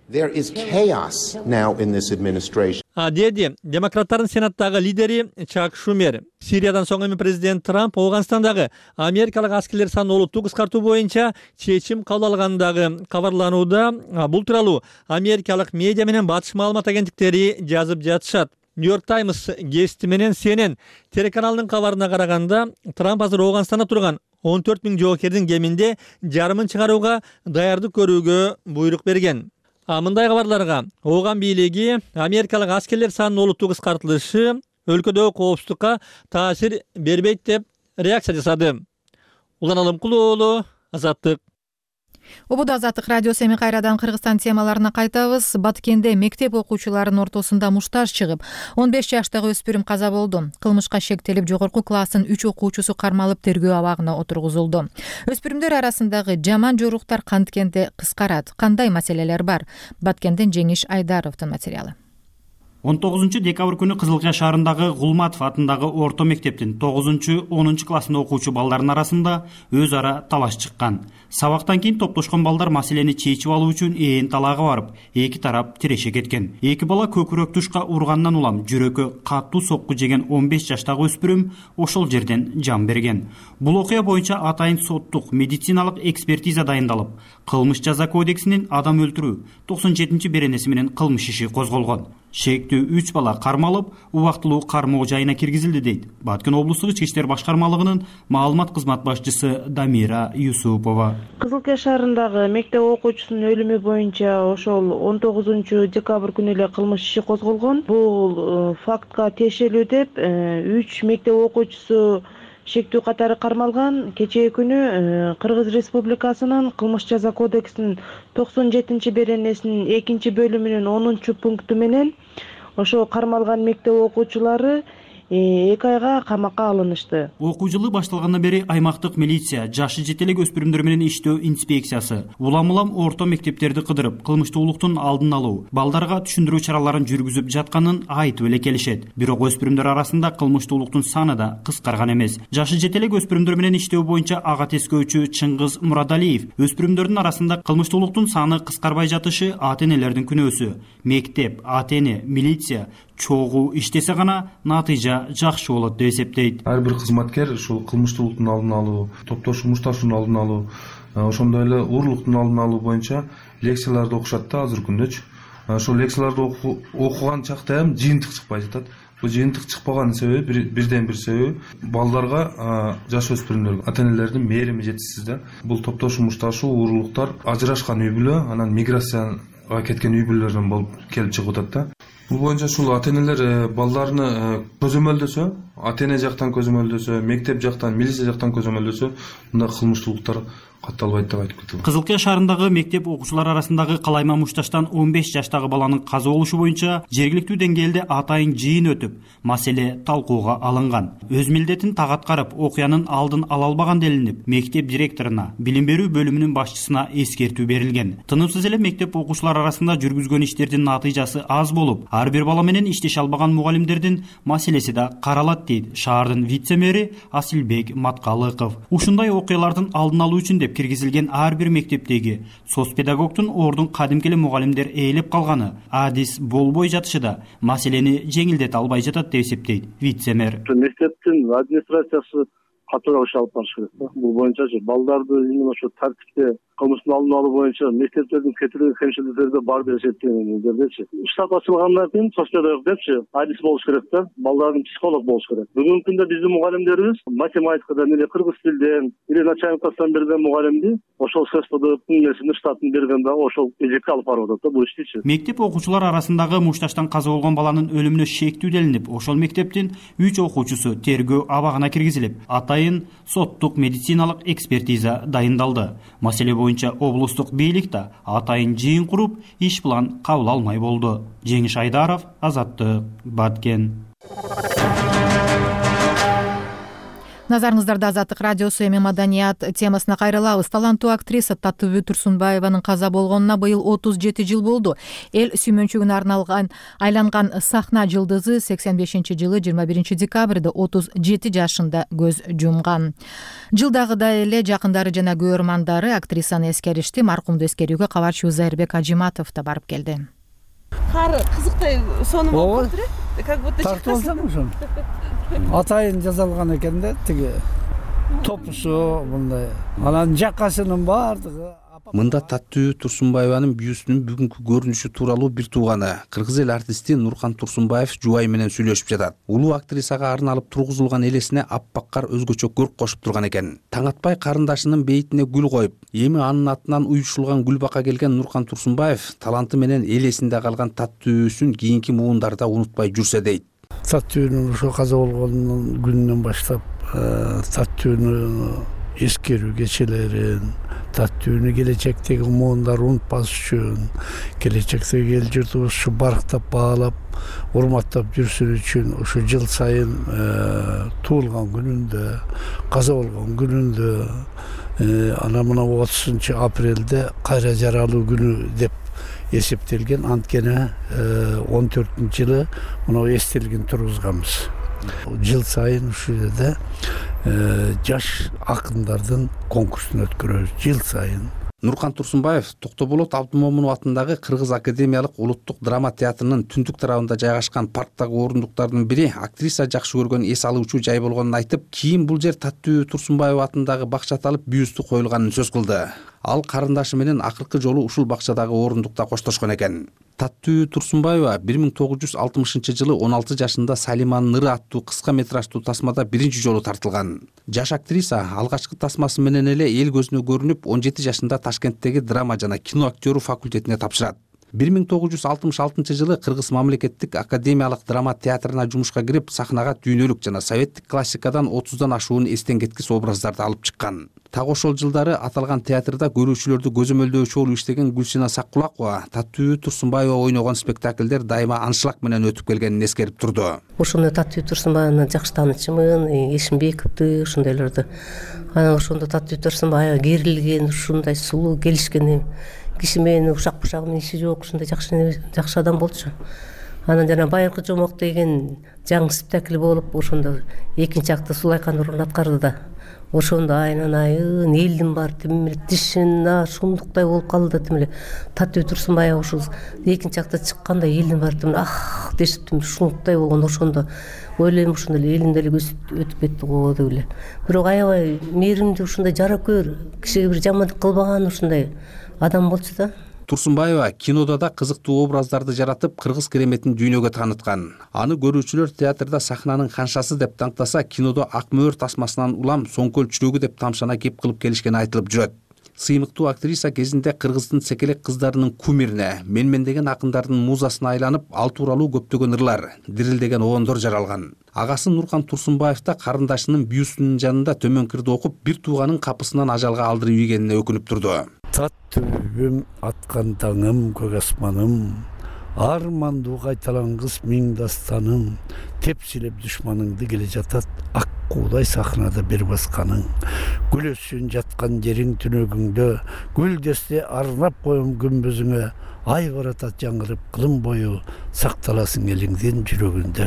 There is chaos now in this administration.
Деди демократтардын сенаттагы лидери Чак Шумер. Сириядан соң эми президент Трамп Афганистандагы америкалык аскерлер санын олуттуу кыскартуу боюнча чечим кабыл алгандыгы кабарланууда. Бул тууралуу америкалык медиа менен батыш маалымат агенттиктери жазып жатышат. Нью-Йорк Таймс гезити менен Си Эн Эн телеканалынын кабарына караганда, Трамп азыр Афганистанда турган он төрт миң жоокердин кеминде жарымын чыгарууга даярдык көрүүгө буйрук берген. Мындай кабарларга Ооган бийлиги америкалык аскерлер санынын олуттуу кыскартылышы өлкөдөгү коопсуздукка таасир бербейт деп реакция жасады. Улан Алымкулуу уулу, Азаттык.
Убуда Азаттык радиосу. Эми кайрадан Кыргызстан темаларына кайтабыз. Баткенде мектеп окуучуларынын ортосунда муштаж чыгып, он беш жаштагы өспүрүм каза болду. Кылмышка шектелип, жогорку класстын үч окуучусу кармалып тергөө абагына отургузулду. Өспүрүмдөр арасындагы жаман жоруктар канткенде кыскарат. Кандай маселелер бар? Баткенден Жеңиш Айдаровдун материалы.
он тогузунчу декабрь күнү Кызылкая шаарындагы Гулматов атындагы орто мектептин тогузунчу онунчу классында окуучу балдардын арасында өз ара талаш чыккан. Сабактан кийин топтошкон балдар маселени чечип алуу үчүн ээн талаага барып, эки тарап тиреше кеткен. Эки бала көкүрөк тушка ургандан улам жүрөккө катуу сокку жеген он беш жаштагы өспүрүм ошол жерден жан берген. Бул окуя боюнча атайын соттук медициналык экспертиза дайындалып, кылмыш жаза кодексинин адам өлтүрүү токсон жетинчи беренеси менен кылмыш иши козголгон. Шектүү үч бала кармалып, убактылуу кармоо жайына киргизилди дейт Баткен облустук ички иштер башкармалыгынын маалымат кызмат башчысы Дамира Юсупова.
Кызылкая шаарындагы мектеп окуучусунун өлүмү боюнча ошол он тогузунчу декабрь күнү эле кылмыш иши козголгон. Бул фактка тиешелүү деп үч мектеп окуучусу шектүү катары кармалган. Кечээ күнү Кыргыз Республикасынын кылмыш жаза кодексинин токсон жетинчи беренесинин экинчи бөлүмүнүн онунчу пункту менен ошо кармалган мектеп окуучулары эки айга камакка алынышты.
Окуу жылы башталгандан бери аймактык милиция жашы жете элек өспүрүмдөр менен иштөө инспекциясы улам-улам орто мектептерди кыдырып, кылмыштуулуктун алдын алуу, балдарга түшүндүрүү чараларын жүргүзүп жатканын айтып эле келишет. Бирок өспүрүмдөр арасында кылмыштуулуктун саны да кыскарган эмес. Жашы жете элек өспүрүмдөр менен иштөө боюнча ага тескөөчү Чыңгыз Мурадалиев өспүрүмдөрдүн арасында кылмыштуулуктун саны кыскарбай жатышы ата-энелердин күнөөсү. Мектеп, ата-эне, милиция чогуу иштесе гана натыйжа жакшы болот деп эсептейт.
Ар бир кызматкер ушул кылмыштуулуктун алдын алуу, топтошуу мушташуунун алдын алуу, ошондой эле уурулуктун алдын алуу боюнча лекцияларды окушат да азыркы күндөчү. Ошол лекцияларды окуган чакта эми жыйынтык чыкпай жатат. Бул жыйынтык чыкпаган себеби бирден бир себеби балдарга, жаш өспүрүмдөргө ата-энелердин мээрими жетишсиз да. Бул топтошуу мушташуу, уурулуктар ажырашкан үй бүлө, анан миграцияга кеткен үй бүлөлөрдөн болуп келип чыгып атат да. Бул боюнча ушул ата-энелер балдарыны көзөмөлдөсө, ата-эне жактан көзөмөлдөсө, мектеп жактан, милиция жактан көзөмөлдөсө, мындай кылмыштуулуктар катталбайт деп айтып кетем.
Кызылкая шаарындагы мектеп окуучулары арасындагы калайма мушташтан он беш жаштагы баланын каза болушу боюнча жергиликтүү деңгээлде атайын жыйын өтүп, маселе талкууга алынган. Өз милдетин так аткарып, окуянын алдын ала албаган делинип, мектеп директоруна, билим берүү бөлүмүнүн башчысына эскертүү берилген. Тынымсыз эле мектеп окуучулары арасында жүргүзгөн иштердин натыйжасы аз болуп, ар бир бала менен иштеше албаган мугалимдердин маселеси да каралат дейт шаардын вице-мэри Асилбек Маткалыков. Ушундай окуялардын алдын алуу үчүн деп деп киргизилген ар бир мектептеги соц педагогдун ордун кадимки эле мугалимдер ээлеп калганы адис болбой жатышы да маселени жеңилдете албай жатат деп эсептейт вице-мэр.
Мектептин администрациясы катуураак иш алып барыш керек да. Бул боюнчачы балдарды именно ошо тартипте кылмыштын алдын алуу боюнча мектептердин кетирген кемчиликтерде бар деп эсептегендердечи. Штат ачылгандан кийин соц педагог депчи адис болуш керек да, балдардын психолог болуш керек. Бүгүнкү күндө биздин мугалимдерибиз математикадан или кыргыз тилден или начальник класстан берген мугалимди ошол ССПДБтын несин штатын берген дагы ошол эжекке алып барып атат да бул иштичи.
Мектеп окуучулар арасындагы мушташтан каза болгон баланын өлүмүнө шектүү делинип, ошол мектептин үч окуучусу тергөө абагына киргизилип, атайын соттук медициналык экспертиза дайындалды. Маселе боюнча облустук бийлик да атайын жыйын куруп, иш план кабыл алмай болду. Жеңиш Айдаров, Азаттык, Баткен.
Назарыңыздарда Азаттык радиосу эми маданият темасына кайрылабыз. Таланттуу актриса Татыбү Турсунбаеванын каза болгонуна быйыл отуз жети жыл болду. Эл сүймөнчүгүнө арналган айланган сахна жылдызы сексен бешинчи жылы жыйырма биринчи декабрда отуз жети жашында көз жумган. Жылдагыдай эле жакындары жана көрөрмандары актрисаны эскеришти. Маркумду эскерүүгө кабарчыбыз Зайырбек Ажиматов да барып келди.
Кары кызыктай сонун болуп калды э? Как будто
тартып алсам атайын жасалган экен да, тиги топусу мындай. Анан жакасынын баардыгы.
Мында Татыбү Турсунбаеванын бүйүсүнүн бүгүнкү көрүнүшү тууралуу бир тууганы, кыргыз эл артисти Нуркан Турсунбаев жубайы менен сүйлөшүп жатат. Улуу актрисага арналып тургузулган элесине аппак кар өзгөчө көрк кошуп турган экен. Таң атпай карындашынын бейитине гүл коюп, эми анын атынан уюшулган гүл бака келген Нуркан Турсунбаев таланты менен эл эсинде калган Татыбүсүн кийинки муундарда унутпай жүрсө дейт.
Татыбүнүн ошо каза болгонунун күнүнөн баштап Татыбүнү эскерүү кечелерин, Татыбүнү келечектеги муундар унутпаш үчүн, келечектеги эл журтубуз барктап баалап, урматтап жүрсүн үчүн ошо жыл сайын туулган күнүндө, каза болгон күнүндө, ана мына отузунчу апрелде кайра жаралуу күнү деп эсептелген. Анткени он төртүнчү жылы мына эстелигин тургузганбыз. Жыл сайын ушул жерде жаш акындардын конкурсун өткөрөбүз жыл сайын.
Нуркан Турсунбаев Токтоболот Абдымомунов атындагы Кыргыз академиялык улуттук драма театрынын түндүк тарабында жайгашкан парктагы орундуктардын бири актриса жакшы көргөн эс алуучу жай болгонун айтып, кийин бул жер Татыбү Турсунбаева атындагы бакчада алып бүүстү коюлганын сөз кылды. Ал карындашы менен акыркы жолу ушул бакчадагы орундукта коштошкон экен. Татыбү Турсунбаева бир миң тогуз жүз алтымышынчы жылы он алты жашында Салиманын ыры аттуу кыска метраждуу тасмада биринчи жолу тартылган. Жаш актриса алгачкы тасмасы менен эле эл көзүнө көрүнүп, он жети жашында Ташкенттеги драма жана кино актёру факультетине тапшырат. бир миң тогуз жүз алтымыш алтынчы жылы Кыргыз мамлекеттик академиялык драма театрына жумушка кирип, сахнага дүйнөлүк жана советтик классикадан отуздан ашуун эстен кеткис образдарды алып чыккан. Так ошол жылдары аталган театрда көрүүчүлөрдү көзөмөлдөөчү болуп иштеген Гүлсина Саккулакова Татыбү Турсунбаева ойногон спектакльдер дайыма аншлаг менен өтүп келгенин эскерип турду.
Ошондо Татыбү Турсунбаеваны жакшы таанычымын, Эшимбековду, ошондойлорду. Анан ошондо Татыбү Турсунбаева керилген, ушундай сулуу келишкен киши менен ушак бушак менен иши жок, ушундай жакшы жакшы адам болчу. Анан жана Байыркы жомок деген жаңы спектакль болуп, ошондо экинчи акты Сулайкан орун аткарды да. Ошондо айнан айын элдин бар тим эле тишин ушундуктай болуп калды да, тим эле Татыбү Турсунбаева ушул экинчи акта чыкканда элдин баары тим ах дешип тим ушундуктай болгон. Ошондо ойлойм ошондо эле элим деле өтүп кетти го деп эле. Бирок аябай мээримдүү, ушундай жаракөр, кишиге бир жамандык кылбаган ушундай адам болчу да.
Турсунбаева кинода да кызыктуу образдарды жаратып, кыргыз кереметин дүйнөгө тааныткан. Аны көрүүчүлөр театрда сахнанын ханшасы деп таңтаса, кинодо ак мөөр тасмасынан улам соңкөл чүрөгү деп тамшана кеп кылып келишкени айтылып жүрөт. Сыймыктуу актриса кезинде кыргыздын секелек кыздарынын кумирине, менмендеген акындардын музасына айланып, ал тууралуу көптөгөн ырлар, дирилдеген оондор жаралган. Агасы Нуркан Турсунбаев да карындашынын бүүсүнүн жанында төмөнкүрдү окуп, бир тууганын капысынан ажалга алдырып ийгенине өкүнүп турду.
Татыбүм аткан таңым, көк асманым, армандуу кайталангыс миң дастаным, тепсилеп душманыңды келе жатат ак куудай сахнада бир басканың. Гүл өссүн жаткан жериң түнөгүңдө, гүл десте арнап коем күмбүзүңө, ай баратат жаңырып кылым бою сакталасың элиңдин жүрөгүндө.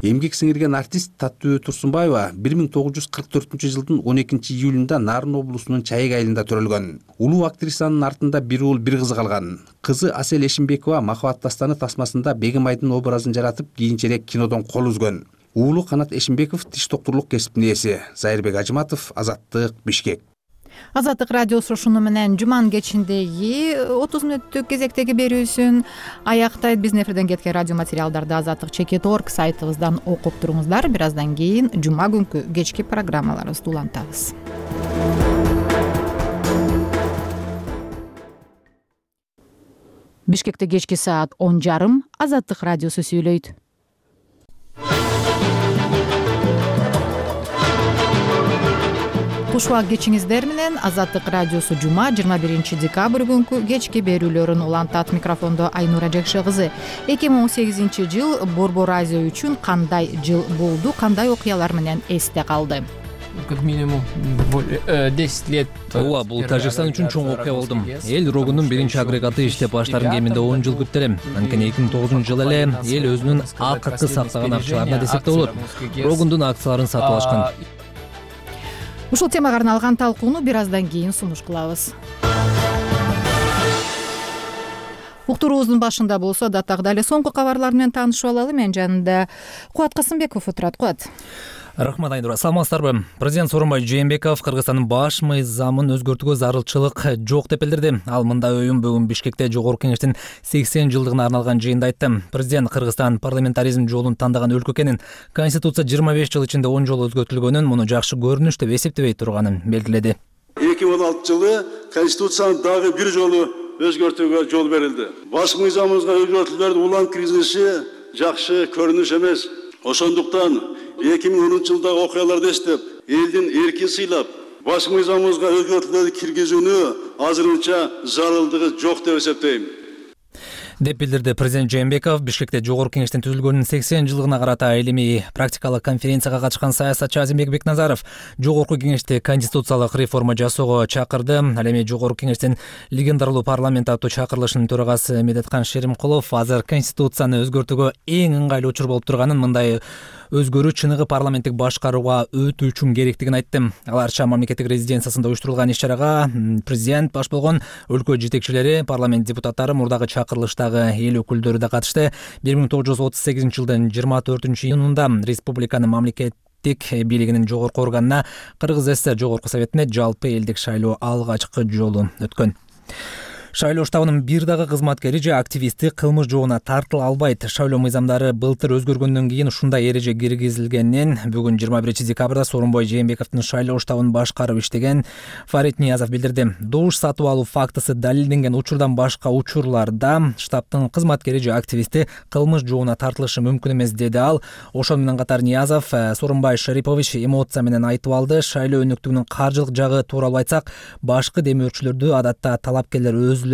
Эмгек сиңирген артист Таттыбүбө Турсунбаева бир миң тогуз жүз кырк төртүнчү жылдын он экинчи июлунда Нарын облусунун Чайык айылында төрөлгөн. Улуу актрисанын артында бир уул бир кызы калган. Кызы Асель Эшимбекова Махабат дастаны тасмасында Бегимайдын образын жаратып, кийинчерээк кинодон кол үзгөн. Уулу Канат Эшимбеков тиш доктурлук кесиптин ээси. Зайырбек Ажыматов, Азаттык, Бишкек.
Азаттык радиосу ушуну менен жуманын кечиндеги отуз мүнөттүк кезектеги берүүсүн аяктайт. Биздин эфирден кеткен радио материалдарды азаттык чекит точка орг сайтыбыздан окуп туруңуздар. Бир аздан кийин жума күнкү кечки программаларыбызды улантабыз. Бишкекте кечки саат он жарым Азаттык радиосу сүйлөйт. Кушубак кечиңиздер менен Азаттык радиосу жума жыйырма биринчи декабрь күнкү кечки берүүлөрүн улантат. Микрофондо Айнура Жекше кызы. эки миң он сегизинчи жыл Борбор Азия үчүн кандай жыл болду, кандай окуялар менен эсте калды?
Как минимум десять лет. Ооба, бул Тажикстан үчүн чоң окуя болду. Эл рогунун биринчи агрегаты иштеп баштарын кеминде он жыл күттү элем. Анткени эки миң тогузунчу жылы эле эл өзүнүн акыркы сактаган акчаларына десек да болот. Рогундун акцияларын сатып алышкан.
Ушул темага арналган талкууну бир аздан кийин сунуш кылабыз. Уктуруубуздун башында болсо датагдагы эле соңку кабарлар менен таанышып алалы. Мен жанында Кубат Касымбеков отурат. Кубат.
Рахмат Айнура. Саламатсыздарбы? Президент Сооронбай Жээнбеков Кыргызстандын баш мыйзамын өзгөртүүгө зарылчылык жок деп билдирди. Ал мындай оюн бүгүн Бишкекте Жогорку Кеңештин сексен жылдыгына арналган жыйында айтты. Президент Кыргызстан парламентаризм жолун тандаган өлкө экенин, Конституция жыйырма беш жыл ичинде он жолу өзгөртүлгөнүн, муну жакшы көрүнүш деп эсептебей турганын белгиледи.
эки миң он алтынчы жылы Конституцияны дагы бир жолу өзгөртүүгө жол берилди. Баш мыйзамыбызга өзгөртүүлөрдүн улам киргизилиши жакшы көрүнүш эмес. Ошондуктан эки миң онунчу жылдагы окуяларды эстеп, элдин эркин сыйлап, баш мыйзамыбызга өзгөртүүлөрдү киргизүүнү азырынча зарылдыгы жок деп эсептейм.
деп билдирди президент Жээнбеков. Бишкекте Жогорку Кеңештин түзүлгөнүнүн сексен жылдыгына карата илимий практикалык конференцияга катышкан саясатчы Азимбек Бекназаров Жогорку Кеңешти конституциялык реформа жасоого чакырды. Ал эми Жогорку Кеңештин легендаралуу парламент аттуу чакырылышынын төрагасы Медеткан Шеримкулов азыр конституцияны өзгөртүүгө эң ыңгайлуу учур болуп турганын, мындай өзгөрүү чыныгы парламенттик башкарууга өтүү үчүн керектигин айтты. Аларча мамлекеттик резиденциясында уюштурулган иш-чарага президент баш болгон өлкө жетекчилери, парламент депутаттары, мурдагы чакырылыштагы эл өкүлдөрү да катышты. бир миң тогуз жүз отуз сегизинчи жылдын жыйырма төртүнчү июнунда республиканын мамлекеттик бийлигинин жогорку органына Кыргыз ССР Жогорку Советине жалпы элдик шайлоо алгачкы жолу өткөн. Шайлоо штабынын бир дагы кызматкери же активисти кылмыш жообуна тартыла албайт. Шайлоо мыйзамдары былтыр өзгөргөндөн кийин ушундай эреже киргизилгенин бүгүн жыйырма биринчи декабрда Сооронбай Жээнбековдун шайлоо штабын башкарып иштеген Фарид Ниязов билдирди. Добуш сатып алуу фактысы далилденген учурдан башка учурларда штабтын кызматкери же активисти кылмыш жообуна тартылышы мүмкүн эмес, деди ал. Ошону менен катар Ниязов Сооронбай Шарипович эмоция менен айтып алды. Шайлоо өнүктүгүнүн каржылык жагы тууралуу айтсак, башкы демөөрчүлөрдү адатта талапкерлер өзүлөрү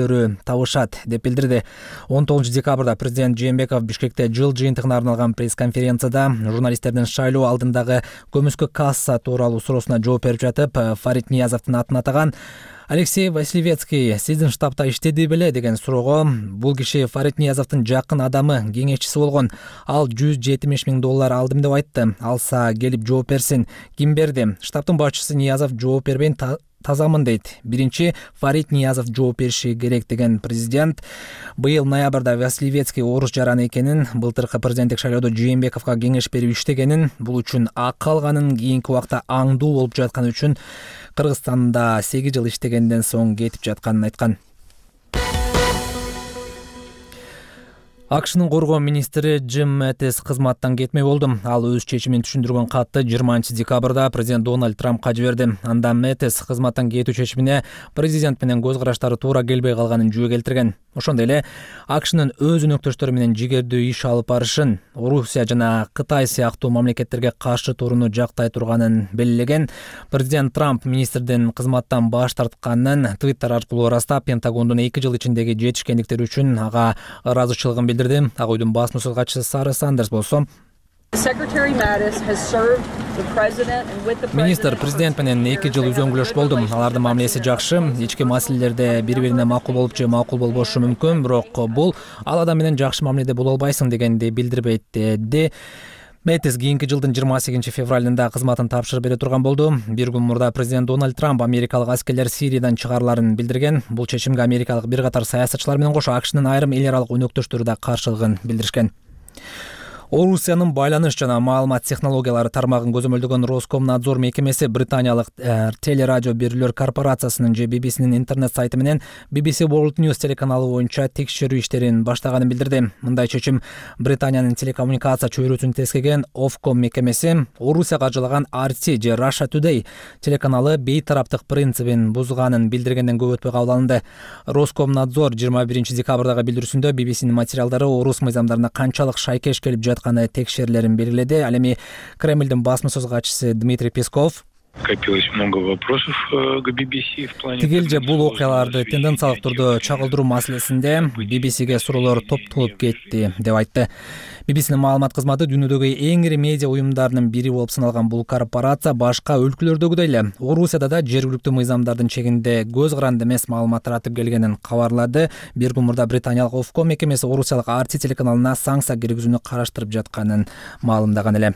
табышат деп билдирди. он тогузунчу декабрда президент Жээнбеков Бишкекте жыл жыйынтыгына арналган пресс-конференцияда журналисттердин шайлоо алдындагы көмүскө касса тууралуу суроосуна жооп берип жатып, Фарид Ниязовдун атын атаган. Алексей Василевецкий сиздин штабта иштеди беле деген суроого бул киши Фарид Ниязовдун жакын адамы, кеңешчиси болгон. Ал жүз жетимиш миң доллар алдым деп айтты. Алса келип жооп берсин. Ким берди? Штабтын башчысы Ниязов жооп бербейин тазамын дейт. Биринчи Фарид Ниязов жооп бериши керек деген президент. Быйыл ноябрда Василевецкий орус жараны экенин, былтыркы президенттик шайлоодо Жээнбековго кеңеш берип иштегенин, бул үчүн акы алганын, кийинки убакта аңдуу болуп жатканы үчүн Кыргызстанда сегиз жыл иштегенден соң кетип жатканын айткан. АКШнын коргоо министри Джим Мэттис кызматтан кетмей болду. Ал өз чечимин түшүндүргөн катты жыйырманчы декабрда президент Дональд Трампка жиберди. Анда Мэттис кызматтан кетүү чечимине президент менен көз караштары туура келбей калганын жөө келтирген. Ошондой эле АКШнын өз өнөктөштөрү менен жигердүү иш алып барышын, Орусия жана Кытай сыяктуу мамлекеттерге каршы турууну жактай турганын белгилеген. Президент Трамп министрдин кызматтан баш тартканын Твиттер аркылуу ырастап, Пентагондун эки жыл ичиндеги жетишкендиктери үчүн ага ыраазычылыгын билдирди. Ак үйдүн басма сөз катчысы Сара Сандерс болсо Министр президент менен эки жыл үзөңгүлөш болду. Алардын мамилеси жакшы. Ички маселелерде бири бирине макул болуп же макул болбошу мүмкүн, бирок бул ал адам менен жакшы мамиледе боло албайсың дегенди билдирбейт деди. Мэтис кийинки жылдын жыйырма сегизинчи февралында кызматын тапшырып бере турган болду. Бир күн мурда президент Дональд Трамп америкалык аскерлер Сириядан чыгарыларын билдирген. Бул чечимге америкалык бир катар саясатчылар менен кошо АКШнын айрым эл аралык өнөктөштөрү да каршылыгын билдиришкен. Орусиянын байланыш жана маалымат технологиялары тармагын көзөмөлдөгөн Роскомнадзор мекемеси британиялык телерадио берүүлөр корпорациясынын же би би синин интернет сайты менен би би си World News телеканалы боюнча текшерүү иштерин баштаганын билдирди. Мындай чечим Британиянын телекоммуникация чөйрөсүн тескеген Ofcom мекемеси Орусия каржылаган ар ти же Russia Today телеканалы бейтараптык принцибин бузганын билдиргенден көп өтпөй кабыл алынды. Роскомнадзор жыйырма биринчи декабрдагы билдирүүсүндө би би синин материалдары орус мыйзамдарына канчалык шайкеш келип жатканы текшерилерин белгиледи. Ал эми Кремлдин басма сөз катчысы Дмитрий Песков
Копилось много вопросов к би би си в плане.
Тигил же бул окуяларды тенденциялык түрдө чагылдыруу маселесинде би би сиге суроолор топтолуп кетти деп айтты. би би синин маалымат кызматы дүйнөдөгү эң ири медиа уюмдарынын бири болуп саналган бул корпорация башка өлкөлөрдөгүдөй эле Орусияда да жергиликтүү мыйзамдардын чегинде көз каранды эмес маалымат таратып келгенин кабарлады. Бир күн мурда британиялык Ofcom мекемеси орусиялык ар ти телеканалына санкция киргизүүнү караштырып жатканын маалымдаган эле.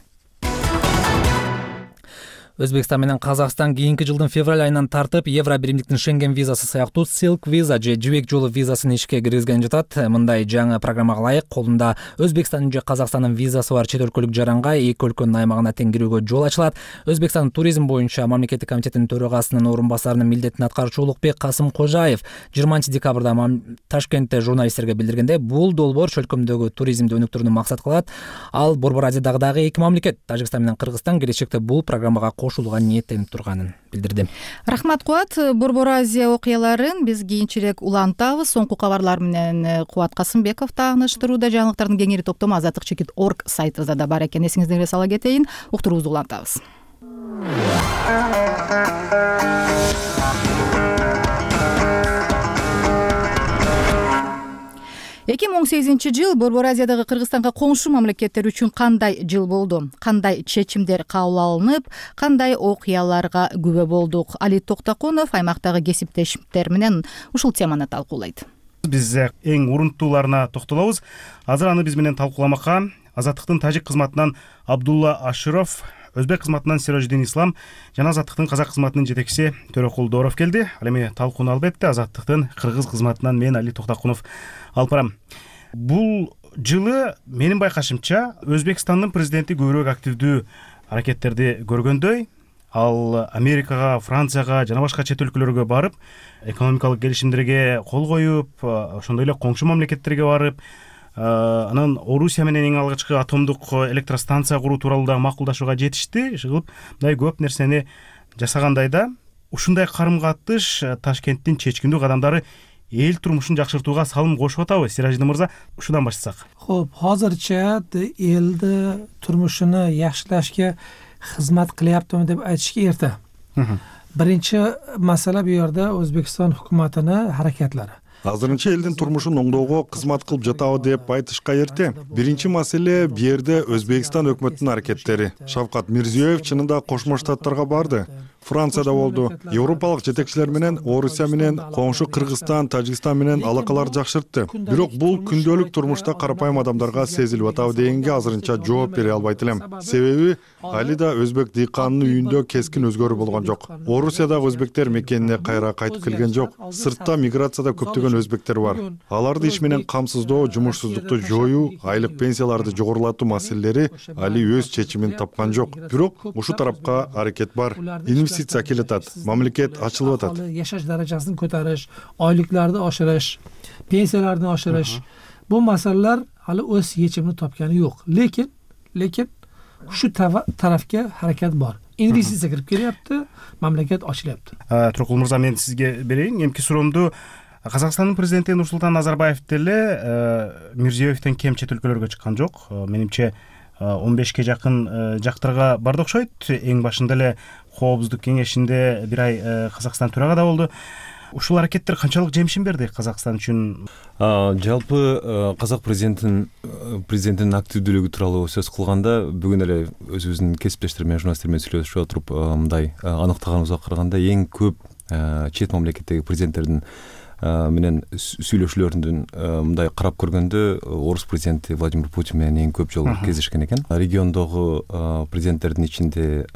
Өзбекстан менен Казакстан кийинки жылдын февраль айынан тартып Евро биримдиктин Шенген визасы сыяктуу Silk Visa же жибек жолу визасын ишке киргизген жатат. Мындай жаңы программага ылайык колунда Өзбекстандын же Казакстандын визасы бар чет өлкөлүк жаранга эки өлкөнүн аймагына тең кирүүгө жол ачылат. Өзбекстандын туризм боюнча мамлекеттик комитетинин төрагасынын орун басарынын милдетин аткаруучу Улукбек Касым Кожаев жыйырманчы декабрда Ташкентте журналисттерге билдиргенде, бул долбоор чөлкөмдөгү туризмди өнүктүрүүнү максат кылат. Ал Борбор Азиядагы дагы эки мамлекет Тажикстан менен Кыргызстан келечекте бул программага кошулууга ниеттенип турганын билдирди.
Рахмат Кубат. Борбор Азия окуяларын биз кийинчерээк улантабыз. Соңку кабарлар менен Кубат Касымбеков тааныштырууда. Жаңылыктардын кеңири топтому азаттык чекит точка орг сайтыбызда да бар экен. Эсиңиздерге сала кетейин. Уктуруубузду улантабыз. эки миң он сегизинчи жыл Борбор Азиядагы Кыргызстанга коңшу мамлекеттер үчүн кандай жыл болду? Кандай чечимдер кабыл алынып, кандай окуяларга күбө болдук? Али Токтокунов аймактагы кесиптештер менен ушул теманы талкуулайт.
Биз эң урунтууларына токтолобуз. Азыр аны биз менен талкууламакка Азаттыктын тажик кызматынан Абдулла Аширов, өзбек кызматынан Сиражидин Ислам жана Азаттыктын казак кызматынын жетекчиси Төрөкул Дооров келди. Ал эми талкууну алып этти. Азаттыктын кыргыз кызматынан мен Али Токтокунов алып барам. Бул жылы менин байкашымча Өзбекстандын президенти көбүрөөк активдүү аракеттерди көргөндөй, ал Америкага, Францияга жана башка чет өлкөлөргө барып, экономикалык келишимдерге кол коюп, ошондой эле коңшу мамлекеттерге барып, анан Орусия менен эң алгачкы атомдук электростанция куруу тууралуу да макулдашууга жетишти. Ишигип мындай көп нерсени жасагандай да, ушундай карым-катыш Ташкенттин чечкиндүү кадамдары эл турмушун жакшыртууга салым кошуп атабы? Сиражидин мырза, ушудан баштасак.
Хо'p, hozircha elni turmushini yaxshilashga xizmat qilyaptimi deb aytishga erta. Birinchi masala bu yerda O'zbekiston hukumatini harakatlari.
Азырынча элдин турмушун оңдоого кызмат кылып жатабы деп айтышка эрте. Биринчи маселе бу жерде Өзбекстан өкмөтүнүн аракеттери. Шавкат Мирзиёев чынында Кошмо Штаттарга барды. Францияда болду. Европалык жетекчилер менен, Орусия менен, коңшу Кыргызстан, Тажикстан менен алакалар жакшыртты. Бирок бул күндөлүк турмушта карапайым адамдарга сезилип атабы дегенге азырынча жооп бере албайт элем. Себеби али да өзбек дыйканынын үйүндө кескин өзгөрүү болгон жок. Орусиядагы өзбектер мекенине кайра кайтып келген жок. Сыртта миграцияда көптөгөн өзбектер бар. Аларды иш менен камсыздоо, жумушсуздукту жоюу, айлык пенсияларды жогорулатуу маселелери али өз чечимин тапкан жок. Бирок ушу тарапка аракет бар. Инвестиция келип атат, мамлекет ачылып атат.
Yashash darajasini ko'tarish, oyliklarni oshirish, pensiyalarni oshirish. Bu masalalar hali o'z yechimini topgani yo'q. Lekin, lekin shu tarafga harakat bor. Investitsiya kirib kelyapti, mamlakat ochilyapti.
Turqул мырза, мен сизге берейин. Эмки суроомду Казакстандын президенти Нурсултан Назарбаев деле Мирзиёевден кем чет өлкөлөргө чыккан жок. Менимче он бешке жакын жактарга барды окшойт. Эң башында эле Коопсуздук кеңешинде бир ай Казакстан төрагада болду. ушул аракеттер канчалык жемишин берди Казакстан үчүн?
Жалпы казак президентин президенттин активдүүлүгү тууралуу сөз кылганда бүгүн эле өзүбүздүн кесиптештер менен журналисттер менен сүйлөшүп отуруп мындай аныктаганыбызга караганда эң көп чет мамлекеттеги президенттердин менен сүйлөшүүлөрүндөн мындай карап көргөндө орус президенти Владимир Путин менен эң көп жолу кездешкен экен. Региондогу президенттердин ичинде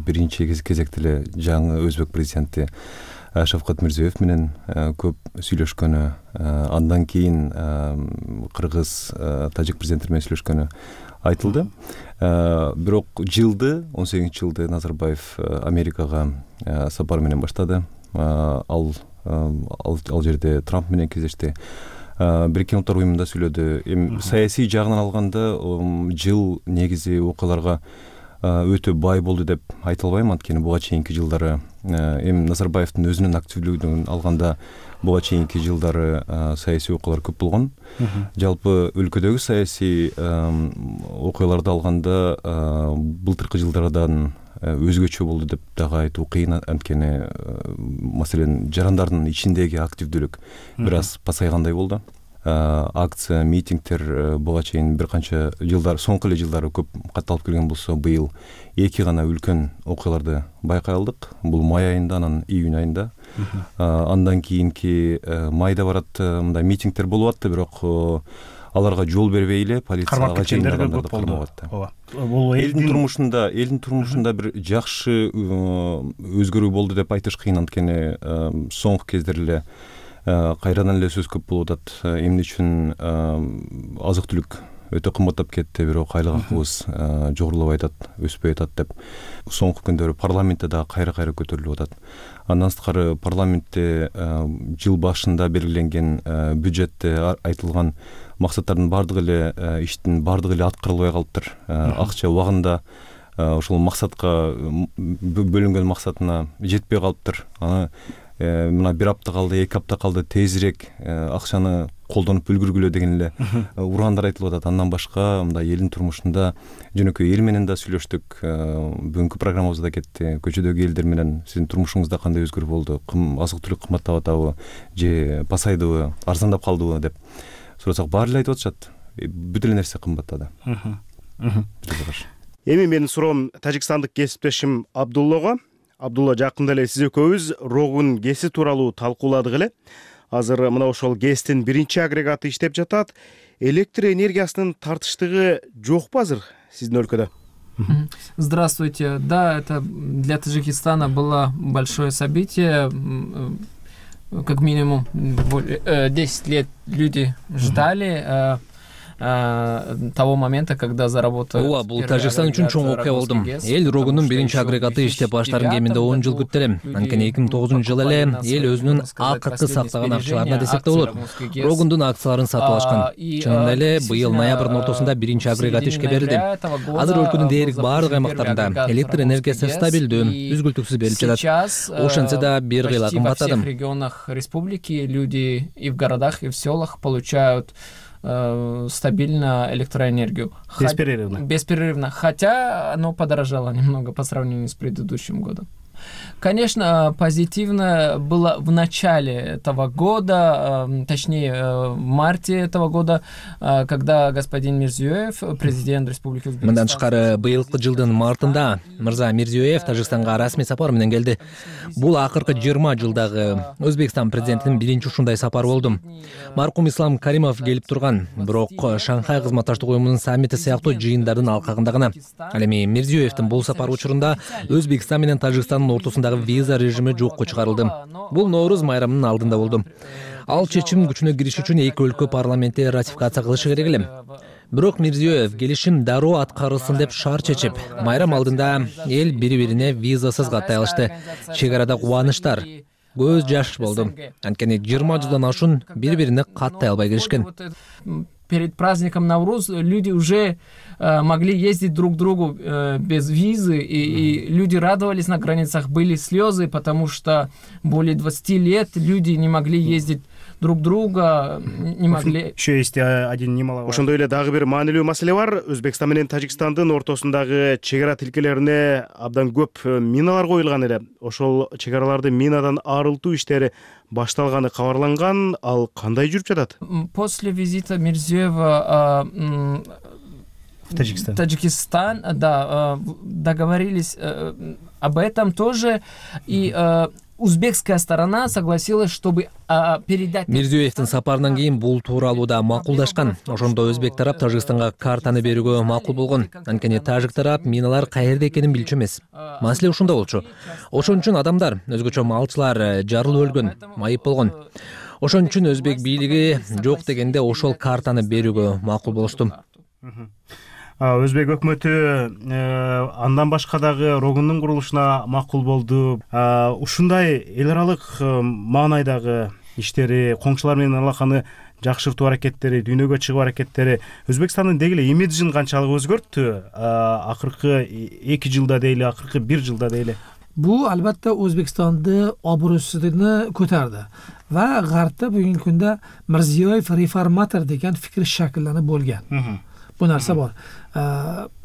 биринчи кезекте эле жаңы өзбек президенти Шавкат Мирзиёев менен көп сүйлөшкөнү, андан кийин кыргыз, тажик президенттери менен сүйлөшкөнү айтылды. Бирок жылды, он сегизинчи жылды Назарбаев Америкага сапар менен баштады. Ал ал жерде Трамп менен кездешти. Бириккен Улуттар уюмунда сүйлөдү. Эми саясий жагынан алганда жыл негизи окуяларга өтө бай болду деп айта албайм, анткени буга чейинки жылдары эми Назарбаевдин өзүнүн активдүүлүгүн алганда буга чейинки жылдары саясий окуялар көп болгон. Жалпы өлкөдөгү саясий окуяларды алганда былтыркы жылдардан өзгөчө болду деп дагы айтуу кыйын, анткени маселен жарандардын ичиндеги активдүүлүк бир аз пасайгандай болду. Акция, митингдер буга чейин бир канча жылдар, соңку эле жылдары көп катталып келген болсо, быйыл эки гана үлкөн окуяларды байкай алдык. Бул май айында, анан июнь айында. Андан кийинки майда барат мындай митингдер болуп атты, бирок аларга жол бербей эле полицияга чейин адамдарды кармап атты. Бул элдин турмушунда, элдин турмушунда бир жакшы өзгөрүү болду деп айтыш кыйын, анткени соңку кездер эле кайрадан эле сөз көп болуп атат. Эмне үчүн азык түлүк өтө кымбаттап кетти, бирок айлык акыбыз жогорулабай атат, өспөй атат деп соңку күндөрү парламентте дагы кайра-кайра көтөрүлүп атат. Андан сырткары парламентте жыл башында белгиленген бюджетте айтылган максаттардын бардыгы эле, иштин бардыгы эле аткарылбай калыптыр. Акча убагында ошол максатка бөлүнгөн максатына жетпей калыптыр. Аны мына бир апта калды, эки апта калды, тезирээк акчаны колдонуп үлгүргүлө деген эле ураандар айтылып атат. Андан башка мындай элдин турмушунда жөнөкөй эл менен да сүйлөштүк. Бүгүнкү программабызда кетти. Көчөдөгү элдер менен сиздин турмушуңузда кандай өзгөрүү болду? Азык түлүк кымбаттап атабы же пасайдыбы, арзандап калдыбы деп сурасак, баары эле айтып атышат. Бүт эле нерсе кымбаттады.
Эми менин суроом тажикстандык кесиптешим Абдуллага. Абдулла, жакында эле сиз экөөбүз Рогун ГЭСи тууралуу талкууладык эле. Азыр мына ошол ГЭСтин биринчи агрегаты иштеп жатат. Электр энергиясынын тартыштыгы жокпу азыр сиздин өлкөдө?
Здравствуйте. Да, это для Таджикистана было большое событие. Как минимум десять лет люди ждали того момента, когда заработал.
Ооба, бул Тажикстан үчүн чоң окуя болду. Эл Рогунун биринчи агрегаты иштеп баштарын кеминде он жыл күттү эле. Анткени эки миң тогузунчу жылы эле эл өзүнүн акыркы сактаган акчаларына десек да болот, Рогундун акцияларын сатып алышкан. Чынында эле быйыл ноябрдын ортосунда биринчи агрегат ишке берилди. Азыр өлкөнүн дээрлик баардык аймактарында электр энергиясы стабилдүү, үзгүлтүксүз берилип жатат. Ошентсе да бир кыйла кымбаттады.
В регионах республики люди и в городах, и в селах получают стабильно электроэнергию.
Бесперерывно.
Бесперерывно. Хотя оно подорожало немного по сравнению с предыдущим годом. Конечно, позитивно было в начале этого года, точнее, в марте этого года, когда господин Мирзиёев, президент Республики Узбекистан...
Мындан тышкары быйылкы жылдын мартында мырза Мирзиёев Тажикстанга расмий сапар менен келди. Бул акыркы жыйырма жылдагы Өзбекстан президентинин биринчи ушундай сапары болду. Маркум Ислам Каримов келип турган, бирок Шанхай кызматташтык уюмунун саммити сыяктуу жыйындардын алкагында гана. Ал эми Мирзиёевдин бул сапар учурунда Өзбекстан менен Тажикстандын ортосундагы виза режими жокко чыгарылды. Бул Ноорuz майрамынын алдында болду. Ал чечим күчүнө кириш үчүн эки өлкө парламенти ратификация кылышы керек эле. Бирок Мирзиёев келишим дароо аткарылсын деп шарт чечип, майрам алдында эл бири-бирине визасыз каттай алышты. Чек арада кубанычтар, көз жаш болду. Анткени жыйырма жылдан ашуун бири-бирине каттай албай келишкен.
Перед праздником Навруз люди уже э, могли ездить друг к другу э, без визы, и, и люди радовались на границах, были слезы, потому что более двадцати лет люди не могли ездить друг друга не могли.
Еще есть один немаловажный. Ошондой эле дагы бир маанилүү маселе бар. Өзбекстан менен Тажикстандын ортосундагы чек ара тилкелерине абдан көп миналар коюлган эле. Ошол чек араларды минадан арылтуу иштери башталганы кабарланган. Ал кандай жүрүп жатат?
После визита Мирзиёева
в Таджикистан.
Таджикистан, да, договорились об этом тоже, и узбекская сторона согласилась, чтобы передать.
Мирзиёевдин сапарынан кийин бул тууралуу да макулдашкан. Ошондо өзбек тарап Тажикстанга картаны берүүгө макул болгон. Анткени тажик тарап миналар каерде экенин билчү эмес. Маселе ушунда болчу. Ошон үчүн адамдар, өзгөчө малчылар жарылып өлгөн, майып болгон. Ошон үчүн өзбек бийлиги жок дегенде ошол картаны берүүгө макул болушту.
Өзбек өкмөтү андан башка дагы рогундун курулушуна макул болду. Ушундай эл аралык маанайдагы иштери, коңшулар менен алаканы жакшыртуу аракеттери, дүйнөгө чыгуу аракеттери Өзбекстандын деги эле имиджин канчалык өзгөрттү? Акыркы эки жылда дейли, акыркы бир жылда дейли.
Бул албетте Өзбекстанды обрусуна көтөрдү. Ва Гарпта бүгүнкү күндө Мирзиёев реформатор деген фикир шакилланып болгон. Bu narsa bor.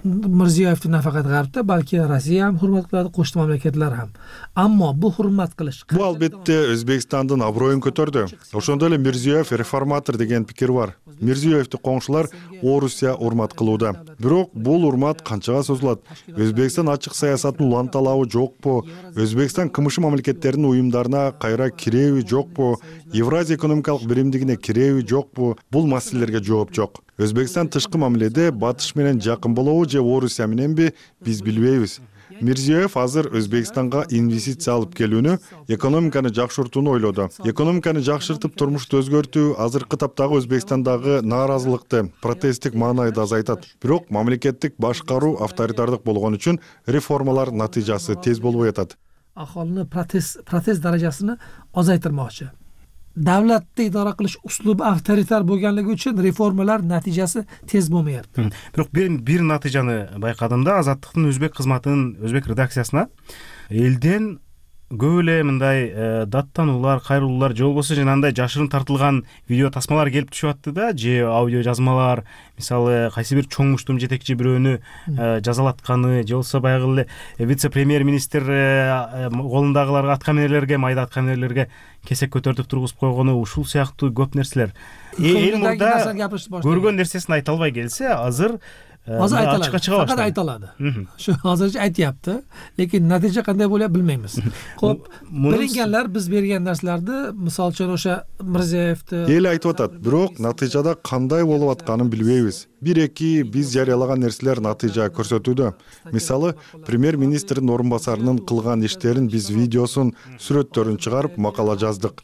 Mirziyoyevni nafaqat G'arbda, balki Rossiya ham hurmat qiladi, qo'shni mamlakatlar ham. Ammo bu hurmat qilish
bu albatta O'zbekistonning obro'yini ko'tardi. Ошондой эле Мирзиёев реформатор деген пикир бар. Мирзиёевди коңшулар Орусия урмат кылууда. Бирок бул урмат канчага созулат? Өзбекстан ачык саясатын уланталабы жокпу? Өзбекстан кымшы мамлекеттердин уюмдарына кайра киреби жокпу? Евразия экономикалык биримдигине киреби жокпу? Бул маселелерге жооп жок. Өзбекстан тышкы мамиледе батыш менен жакын болобу же Орусия мененби биз билбейбиз. Мирзиёев азыр Өзбекстанга инвестиция алып келүүнү, экономиканы жакшыртууну ойлоду. Экономиканы жакшыртып турмушту өзгөртүү азыркы таптагы Өзбекстандагы нааразылыкты, протесттик маанайды азайтат. Бирок мамлекеттик башкаруу авторитардык болгон үчүн реформалар натыйжасы тез болбой атат.
Аholini протест протест darajasini ozaytirmoqchi. Davlatni idora qilish uslubi avtoritar bo'lganligi uchun reformalar natijasi tez bo'lmayapti.
Бирок бир бир натыйжаны байкадым да, Азаттыктын өзбек кызматынын өзбек редакциясына элден көп эле мындай даттануулар, кайрылуулар же болбосо жанагындай жашырын тартылган видео тасмалар келип түшүп атты да, же аудио жазмалар, мисалы кайсы бир чоң муштум жетекчи бирөөнү жазалатканы, же болбосо баягы эле вице-премьер-министр колундагыларга аткаминерлерге, майда аткаминерлерге кесек көтөртүп тургузуп койгону, ушул сыяктуу көп нерселер. Эл мурда көргөн нерсесин айта албай келсе, азыр
Азыр айталады. Факат айталады. Şu азырча aytyapti, lekin natija qanday bo'ladi bilmaymiz. Xo'p, bilinganlar biz bergan narsalarni, misol uchun o'sha Mirziyoyevni
эл айтып атат, бирок натыйжада кандай болуп атканын билбейбиз. Бир-эки биз жарыялаган нерселер натыйжа көрсөтүүдө. Мисалы, премьер-министрдин орун басарынын кылган иштерин биз видеосун, сүрөттөрүн чыгарып макала жаздык.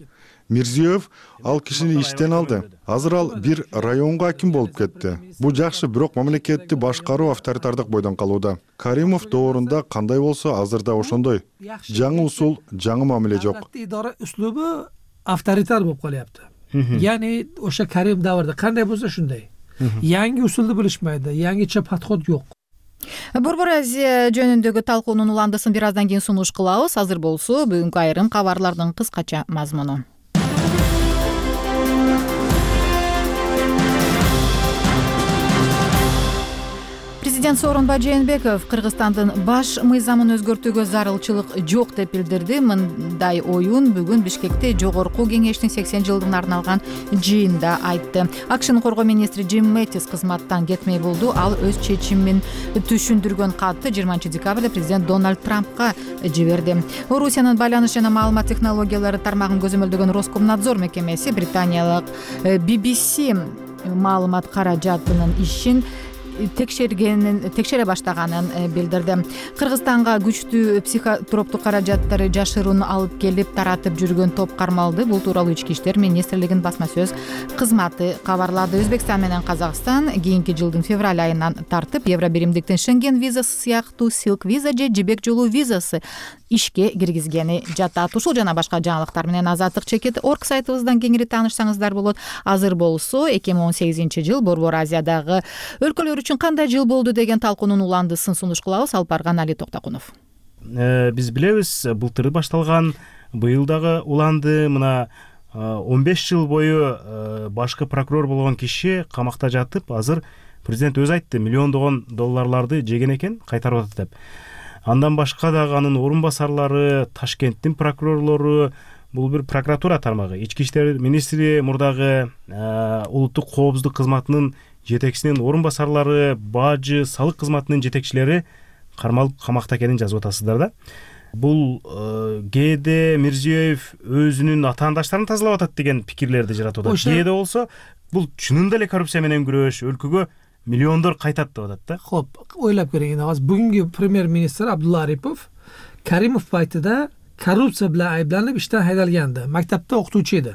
Мирзиёев ал кишини иштен алды. Азыр ал бир районго аким болуп кетти. Бул жакшы, бирок мамлекетти башкаруу авторитардык бойдон калууда. Каримов доорунда кандай болсо, азырда ошондой. Жаңы усул, жаңы мамиле жок.
Идора услубу авторитар болуп калыпты. Яни o'sha Karim davrida qanday bo'lsa shunday. Yangi usulni bilishmaydi, yangicha подход жок.
Борбор Азия жөнүндөгү талкуунун уландысын бир аздан кийин сунуш кылабыз. Азыр болсо бүгүнкү айрым кабарлардын кыскача мазмуну. Президент Сооронбай Жээнбеков Кыргызстандын баш мыйзамын өзгөртүүгө зарылчылык жок деп билдирди. Мындай оюн бүгүн Бишкекте Жогорку кеңештин сексен жылдыгына арналган жыйында айтты. АКШнын коргоо министри Джим Мэттис кызматтан кетмей болду. Ал өз чечимин түшүндүргөн катты жыйырманчы декабрда президент Дональд Трампка жиберди. Орусиянын байланыш жана маалымат технологиялары тармагын көзөмөлдөгөн Роскомнадзор мекемеси британиялык би би си маалымат каражатынын ишин текшергенин текшере баштаганын билдирди. Кыргызстанга күчтүү психотроптук каражаттарды жашыруун алып келип таратып жүргөн топ кармалды. Бул тууралуу Ички иштер министрлигинин басма сөз кызматы кабарлады. Өзбекстан менен Казакстан кийинки жылдын февраль айынан тартып Евро биримдиктин Шенген визасы сыяктуу Silk виза же жибек жолу визасы ишке киргизгени жатат. Ушул жана башка жаңылыктар менен Азаттык чекит орг сайтыбыздан кеңири таанышсаңыздар болот. Азыр болсо эки миң он сегизинчи жыл Борбор Азиядагы өлкөлөр үчүн кандай жыл болду деген талкуунун уландысын сунуш кылабыз. Алып барган Али Токтокунов.
Биз билебиз, былтыр башталган, быйыл дагы уланды. Мына он беш жыл бою башкы прокурор болгон киши камакта жатып, азыр президент өзү айтты, миллиондогон долларларды жеген экен, кайтарып атат деп. Андан башка дагы анын орун басарлары, Ташкенттин прокурорлору, бул бир прокуратура тармагы. Ички иштер министри мурдагы улуттук коопсуздук кызматынын жетекчисинин орун басарлары, бажы, салык кызматынын жетекчилери кармалып камакта экенин жазып атасыздар да. Бул кээде Мирзиёев өзүнүн атаандаштарын тазалап атат деген пикирлерди жаратып атат. Кээде болсо бул чынында эле коррупция менен күрөш, өлкөгө миллиондор кайтат деп атат да.
Хоп, ойлоп көрөйүн. Азыр бүгүнкү премьер-министр Абдулла Арипов Каримов пайтыда коррупция bilan ayblанып иштен haydalgandi. Maktabda o'qituvchi edi.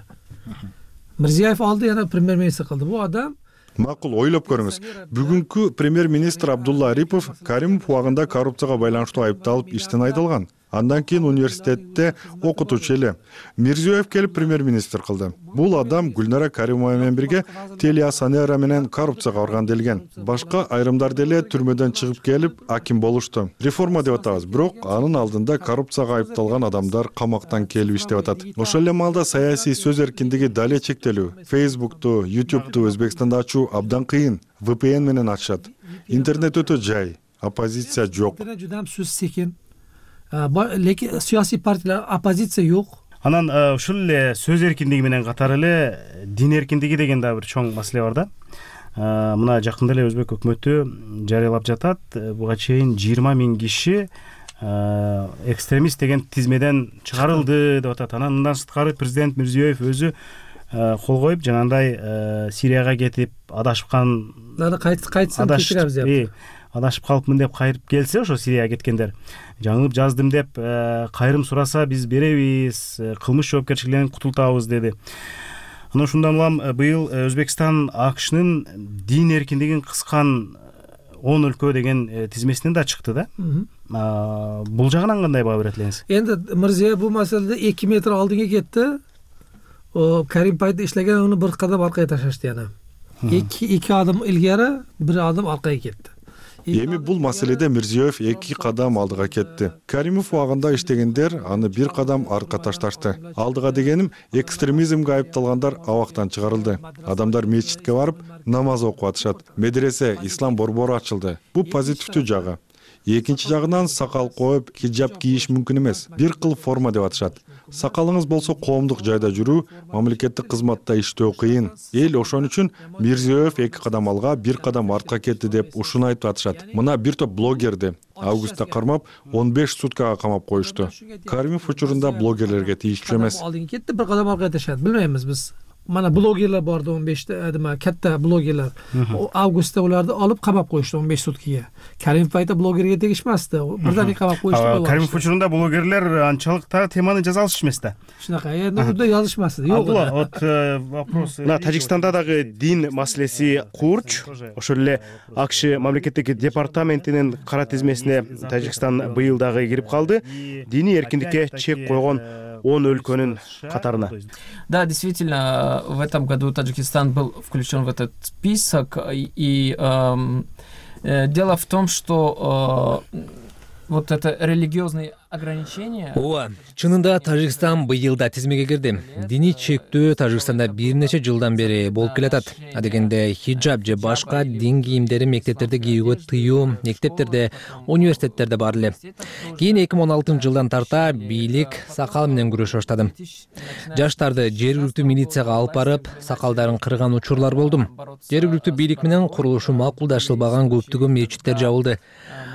Mirziyoyev oldi, yana pремьер-министр qildi. Bu odam
Макул, ойлоп көрүңүз. Бүгүнкү премьер-министр Абдулла Арипов Каримов убагында коррупцияга байланыштуу айыпталып иштен айдалган. Андан кийин университетте окутуучу эле. Мирзиёев келип премьер-министр кылды. Бул адам Гүлнара Каримова менен бирге Телеасанера менен коррупцияга барган делген. Башка айрымдар деле түрмөдөн чыгып келип аким болушту. Реформа деп атабыз, бирок анын алдында коррупцияга айыпталган адамдар камактан келип иштеп атат. Ошол эле маалда саясий сөз эркиндиги дале чектелүү. Facebook'ту, YouTube'ту Өзбекстанда ачуу абдан кыйын. ви пи эн менен ачышат. Интернет өтө жай, оппозиция жок.
Интернет жудам сөз секин. Лекин саясий партиялар оппозиция жок.
Анан ушул эле сөз эркиндиги менен катар эле дин эркиндиги деген да бир чоң маселе бар да. Мына жакында эле Өзбек өкмөтү жарыялап жатат. Буга чейин жыйырма миң киши экстремист деген тизмеден чыгарылды деп атат. Анан мындан сырткары президент Мирзиёев өзү кол коюп, жанагындай Сирияга кетип адашкан,
кайтсам кечиребиз деп.
Адашып калыпмын деп кайрып келсе, ошо Сирияга кеткендер жаңылып жаздым деп кайрым сураса биз беребиз, кылмыш жоопкерчилигинен кутултабыз деди. Анан ушундан улам быйыл Өзбекстан АКШнын дин эркиндигин кыскан он өлкө деген тизмесинен да чыкты да. Бул жагынан кандай баа берет элеңиз?
Энди Мирзиёев бул маселеде эки метр алдыңга кетти. О Карим пайда иштеген, уну бир кадам аркага ташашты яна. эки эки адым илгери, бир адым аркага кетти.
Эми бул маселеде Мирзиёев эки кадам алдыга кетти. Каримов убагында иштегендер аны бир кадам арка ташташты. Алдыга дегеним, экстремизмге айыпталгандар абактан чыгарылды. Адамдар мечитке барып намаз окуп атышат. Медресе, ислам борбору ачылды. Бул позитивдүү жагы. Экинчи жагынан сакал коюп, хиджаб кийиш мүмкүн эмес. Бир кыл форма деп атышат. Сакалыңыз болсо коомдук жайда жүрүү, мамлекеттик кызматта иштөө кыйын. Эл ошон үчүн Мирзиёев эки кадам алга, бир кадам артка кетти деп ушуну айтып атышат. Мына бир топ блогерди августта кармап он беш суткага камап коюшту. Каримов учурунда блогерлерге тийиштүү эмес.
Алдыга кетти, бир кадам аркага ташат. Билбеймиз биз. Mana blogerlar bordi он beshta, nima katta blogerlar. Avgustda ularni olib qamab qo'yishdi он besh sutkaga. Karimov paytda blogerga tegishmasdi. Birdaniga qamab qo'yishdi.
Karimov uchurunda blogerlar anchalik temani жаза алышчу эмес да.
Shunaqa, endi unda yozishmasdi. Yo'q.
Вот вопрос. Мына Тажикстанда дагы дин маселеси курч. Ошол эле АКШ мамлекеттик департаментинин кара тизмесине Тажикстан быйыл дагы кирип калды. Диний эркиндикке чек койгон он өлкөнүн катарына.
Да, действительно, в этом году Таджикистан был включен в этот список. И э, э, дело в том, что э, вот это религиозные ограничения.
Ооба, чынында Тажикстан быйылда тизмеге кирди. Диний чектөө Тажикстанда бир нече жылдан бери болуп келатат. Адегенде хиджаб же башка дин кийимдери мектептерде кийүүгө тыюу, мектептерде, университеттерде бар эле. Кийин эки миң он алтынчы жылдан тарта бийлик сакал менен күрөшө баштады. Жаштарды жергиликтүү милицияга алып барып, сакалдарын кырган учурлар болду. Жергиликтүү бийлик менен курулушу макулдашылбаган көптөгөн мечиттер жабылды.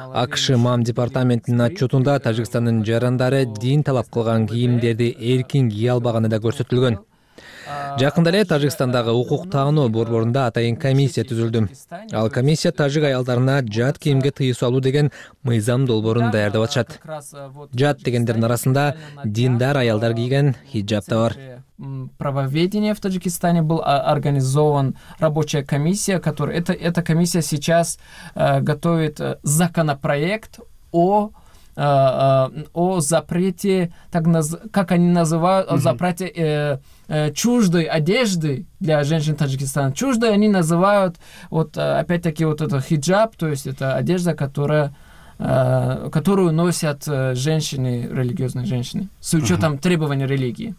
АКШ МАМ департаментинин отчетунда Тажикстандын жарандары дин талап кылган кийимдерди эркин кие албаганы да көрсөтүлгөн. Жакында эле Тажикстандагы укук таануу борборунда атайын комиссия түзүлдү. Ал комиссия тажик аялдарына жат кийимге тыюу салуу деген мыйзам долбоорун даярдап атышат. Жат дегендердин арасында диндар аялдар кийген хиджаб да бар.
Правоведения в Таджикистане был организован рабочая комиссия, которая это эта комиссия сейчас э, готовит законопроект о э, о запрете, так наз, как они называют, о запрете э, э, чуждой одежды для женщин Таджикистана. Чуждой они называют вот опять-таки вот это хиджаб, то есть это одежда, которая э, которую носят женщины, религиозные женщины, с учетом требований религии.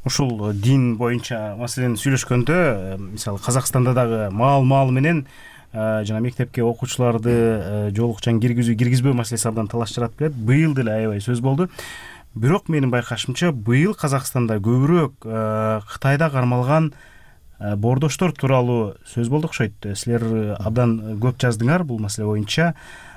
ушул дин боюнча маселени сүйлөшкөндө, мисалы Казакстанда дагы маал маал менен жана мектепке окуучуларды жоолукчан киргизүү киргизбөө маселеси абдан талаш жаратып келет. Быйыл деле аябай сөз болду. Бирок менин байкашымча быйыл Казакстанда көбүрөөк Кытайда кармалган боордоштор тууралуу сөз болду окшойт. Силер абдан көп жаздыңар бул маселе боюнча.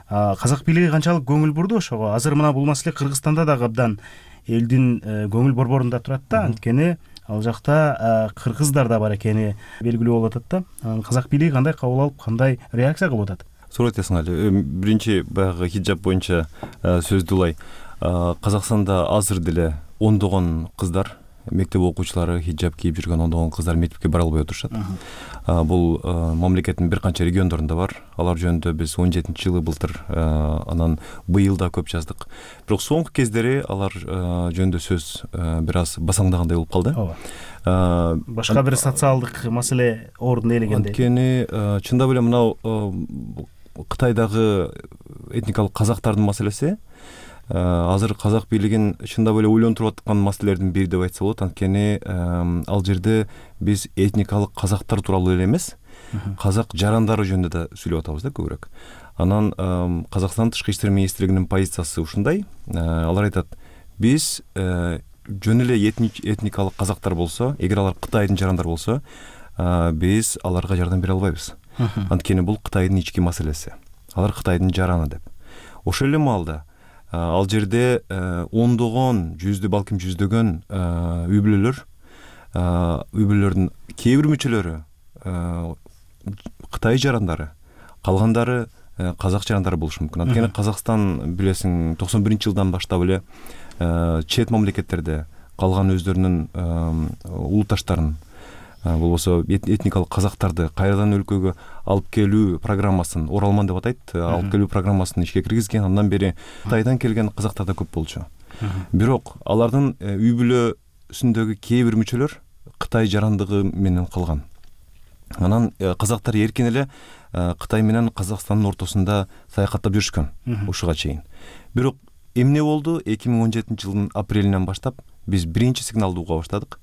Казак бийлиги канчалык көңүл бурду ошого? Азыр мына бул маселе Кыргызстанда дагы абдан элдин көңүл борборунда турат да, анткени ал жакта кыргыздар да бар экени белгилүү болуп атат да. Казак бийлиги кандай кабыл алып, кандай реакция кылып атат?
Суроо айтасың али. Биринчи баягы хиджаб боюнча сөздү улай. Казакстанда азыр деле ондогон кыздар, мектеп окуучулары хиджаб кийип жүргөн ондогон кыздар мектепке бара албай отурушат. Бул мамлекеттин бир канча региондорунда бар. Алар жөнүндө биз он жетинчи жылы былтыр, анан быйыл да көп жаздык. Бирок соңку кездери алар жөнүндө сөз бир аз басаңдагандай болуп калды.
Ооба. Башка бир социалдык маселе ордун ээлегендей.
Анткени чындап эле мынау Кытайдагы этникалык казактардын маселеси азыр казак бийлигин чындап эле ойлонтуруп аткан маселелердин бири деп айтса болот. Анткени ал жерде биз этникалык казактар тууралуу эле эмес, казак жарандары жөнүндө да сүйлөп атабыз да көбүрөөк. Анан Казакстан тышкы иштер министрлигинин позициясы ушундай. Алар айтат, биз жөн эле этникалык казактар болсо, эгер алар Кытайдын жарандары болсо, биз аларга жардам бере албайбыз. Анткени бул Кытайдын ички маселеси. Алар Кытайдын жараны деп. Ошол эле маалда ал жерде ондогон, жүздө, балким жүздөгөн үй бүлөлөр, үй бүлөлөрдүн кээ бир мүчөлөрү Кытай жарандары, калгандары казак жарандары болушу мүмкүн. Анткени Казакстан билесиң токсон биринчи жылдан баштап эле чет мамлекеттерде калган өздөрүнүн улутташтарын, болбосо этникалык казактарды кайрадан өлкөгө алып келүү программасын, Оралман деп атайт, алып келүү программасын ишке киргизген. Андан бери Кытайдан келген казактар да көп болчу. Бирок алардын үй бүлөсүндөгү кээ бир мүчөлөр Кытай жарандыгы менен калган. Анан казактар эркин эле Кытай менен Казакстандын ортосунда саякаттап жүрүшкөн ушуга чейин. Бирок эмне болду? эки миң он жетинчи жылдын апрелинен баштап биз биринчи сигналды уга баштадык.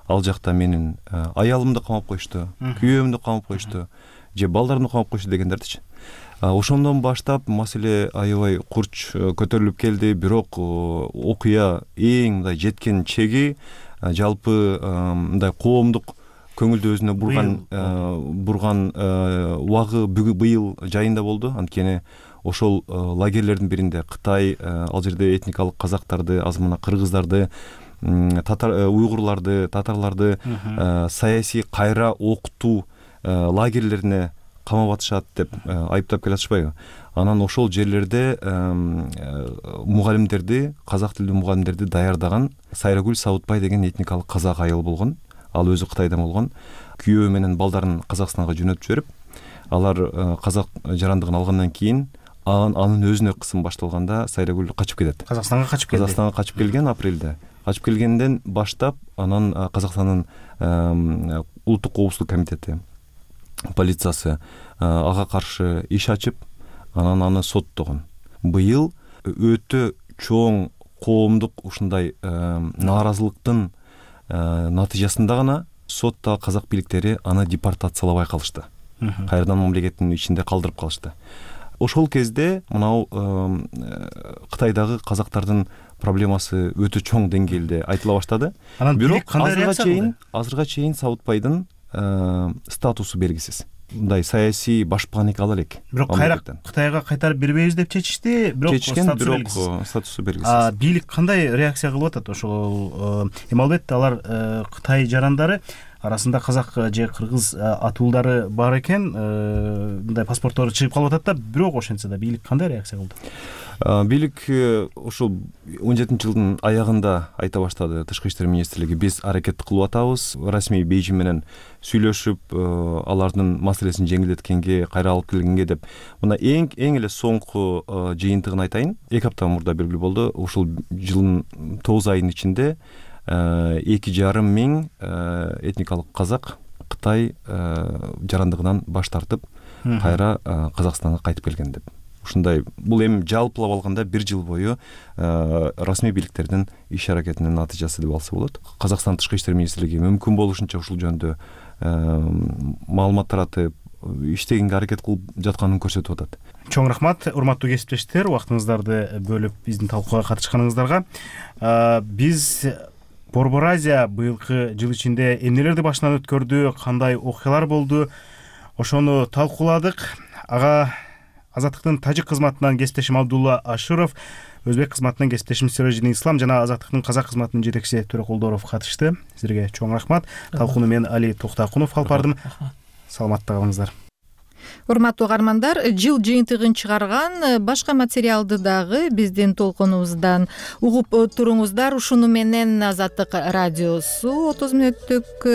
Ал жакта менин аялымды камап коюшту, күйөөмдү камап коюшту, же балдарымды камап коюшту дегендердичи. Ошондон баштап маселе аябай курч көтөрүлүп келди. Бирок окуя эң мындай жеткен чеги жалпы мындай коомдук көңүлдү өзүнө бурган бурган убагы быйыл жайында болду. Анткени ошол лагерлердин биринде Кытай ал жерде этникалык казактарды, азмана кыргыздарды, татар уйгурларды, татарларды саясий кайра окутуу лагерлерине камап атышат деп айыптап келатышпайбы? Анан ошол жерлерде мугалимдерди, казак тилдүү мугалимдерди даярдаган Сайрагүл Сабытбай деген этникалык казак айыл болгон. Ал өзү Кытайдан болгон. Күйөө менен балдарын Казакстанга жөнөтүп жиберип, алар казак жарандыгын алгандан кийин анын өзүнө кысым башталганда Сайрагүл качып кетет.
Казакстанга качып келди.
Казакстанга качып келген апрелде. Качып келгенден баштап анан Казакстандын улуттук коопсуздук комитети, полициясы ага каршы иш ачып, анан аны соттогон. Быйыл өтө чоң коомдук ушундай нааразылыктын натыйжасында гана сотто казак бийликтери аны депортациялабай калышты. Кайрадан мамлекеттин ичинде калдырып калышты. Ошол кезде мынау Кытайдагы казактардын проблемасы өтө чоң деңгээлде айтыла баштады. Бирок азырга чейин, азырга чейин Сабытбайдын статусу белгисиз. Мындай саясий башпаан экени элек.
Бирок кайра Кытайга кайтарып бербейбиз деп чечишти, бирок
статусу белгисиз.
Бийлик кандай реакция кылып атат? Ошол эми албетте алар Кытай жарандары арасында казак же кыргыз атуулдары бар экен, мындай паспорттору чыгып калып атат да, бирок ошентсе да бийлик кандай реакция кылды?
Бийлик ошол он жетинчи жылдын аягында айта баштады. Тышкы иштер министрлиги биз аракет кылып атабыз, расмий Бейжиң менен сүйлөшүп, алардын маселесин жеңилдеткенге, кайра алып келгенге деп. Мына эң эң эле соңку жыйынтыгын айтайын. эки апта мурда белгилүү болду. Ушул жылдын тогуз айынын ичинде эки жарым миң этникалык казак Кытай жарандыгынан баш тартып, кайра Казакстанга кайтып келген деп. ушундай бул эми жалпылап алганда бир жыл бою расмий бийликтердин иш аракетинин натыйжасы деп алса болот. Казакстан тышкы иштер министрлиги мүмкүн болушунча ушул жөнүндө маалымат таратып иштегенге аракет кылып жатканын көрсөтүп атат.
Чоң рахмат, урматтуу кесиптештер, убактыңыздарды бөлүп биздин талкууга катышканыңыздарга. Биз Борбор Азия быйылкы жыл ичинде эмнелерди башынан өткөрдү, кандай окуялар болду, ошону талкууладык. Ага Азаттыктын тажик кызматынан кесиптешим Абдулла Аширов, өзбек кызматынан кесиптешим Сиражидин Ислам жана Азаттыктын казак кызматынын жетекчиси Төрөкулдоров катышты. Силерге чоң рахмат. Талкууну мен Али Токтакунов алып бардым. Саламатта калыңыздар.
Урматтуу угармандар, жыл жыйынтыгын чыгарган башка материалды дагы биздин толкунубуздан угуп туруңуздар. Ушуну менен Азаттык радиосу отуз мүнөттүк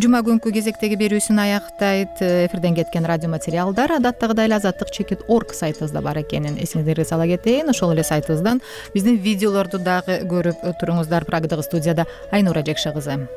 жума күнкү кезектеги берүүсүн аяктайт. Эфирден кеткен радио материалдар адаттагыдай эле азаттык чекит орг сайтыбызда бар экенин эсиңиздерге сала кетейин. Ошол эле сайтыбыздан биздин видеолорду дагы көрүп туруңуздар. Прагдагы студияда Айнура Жекше кызы.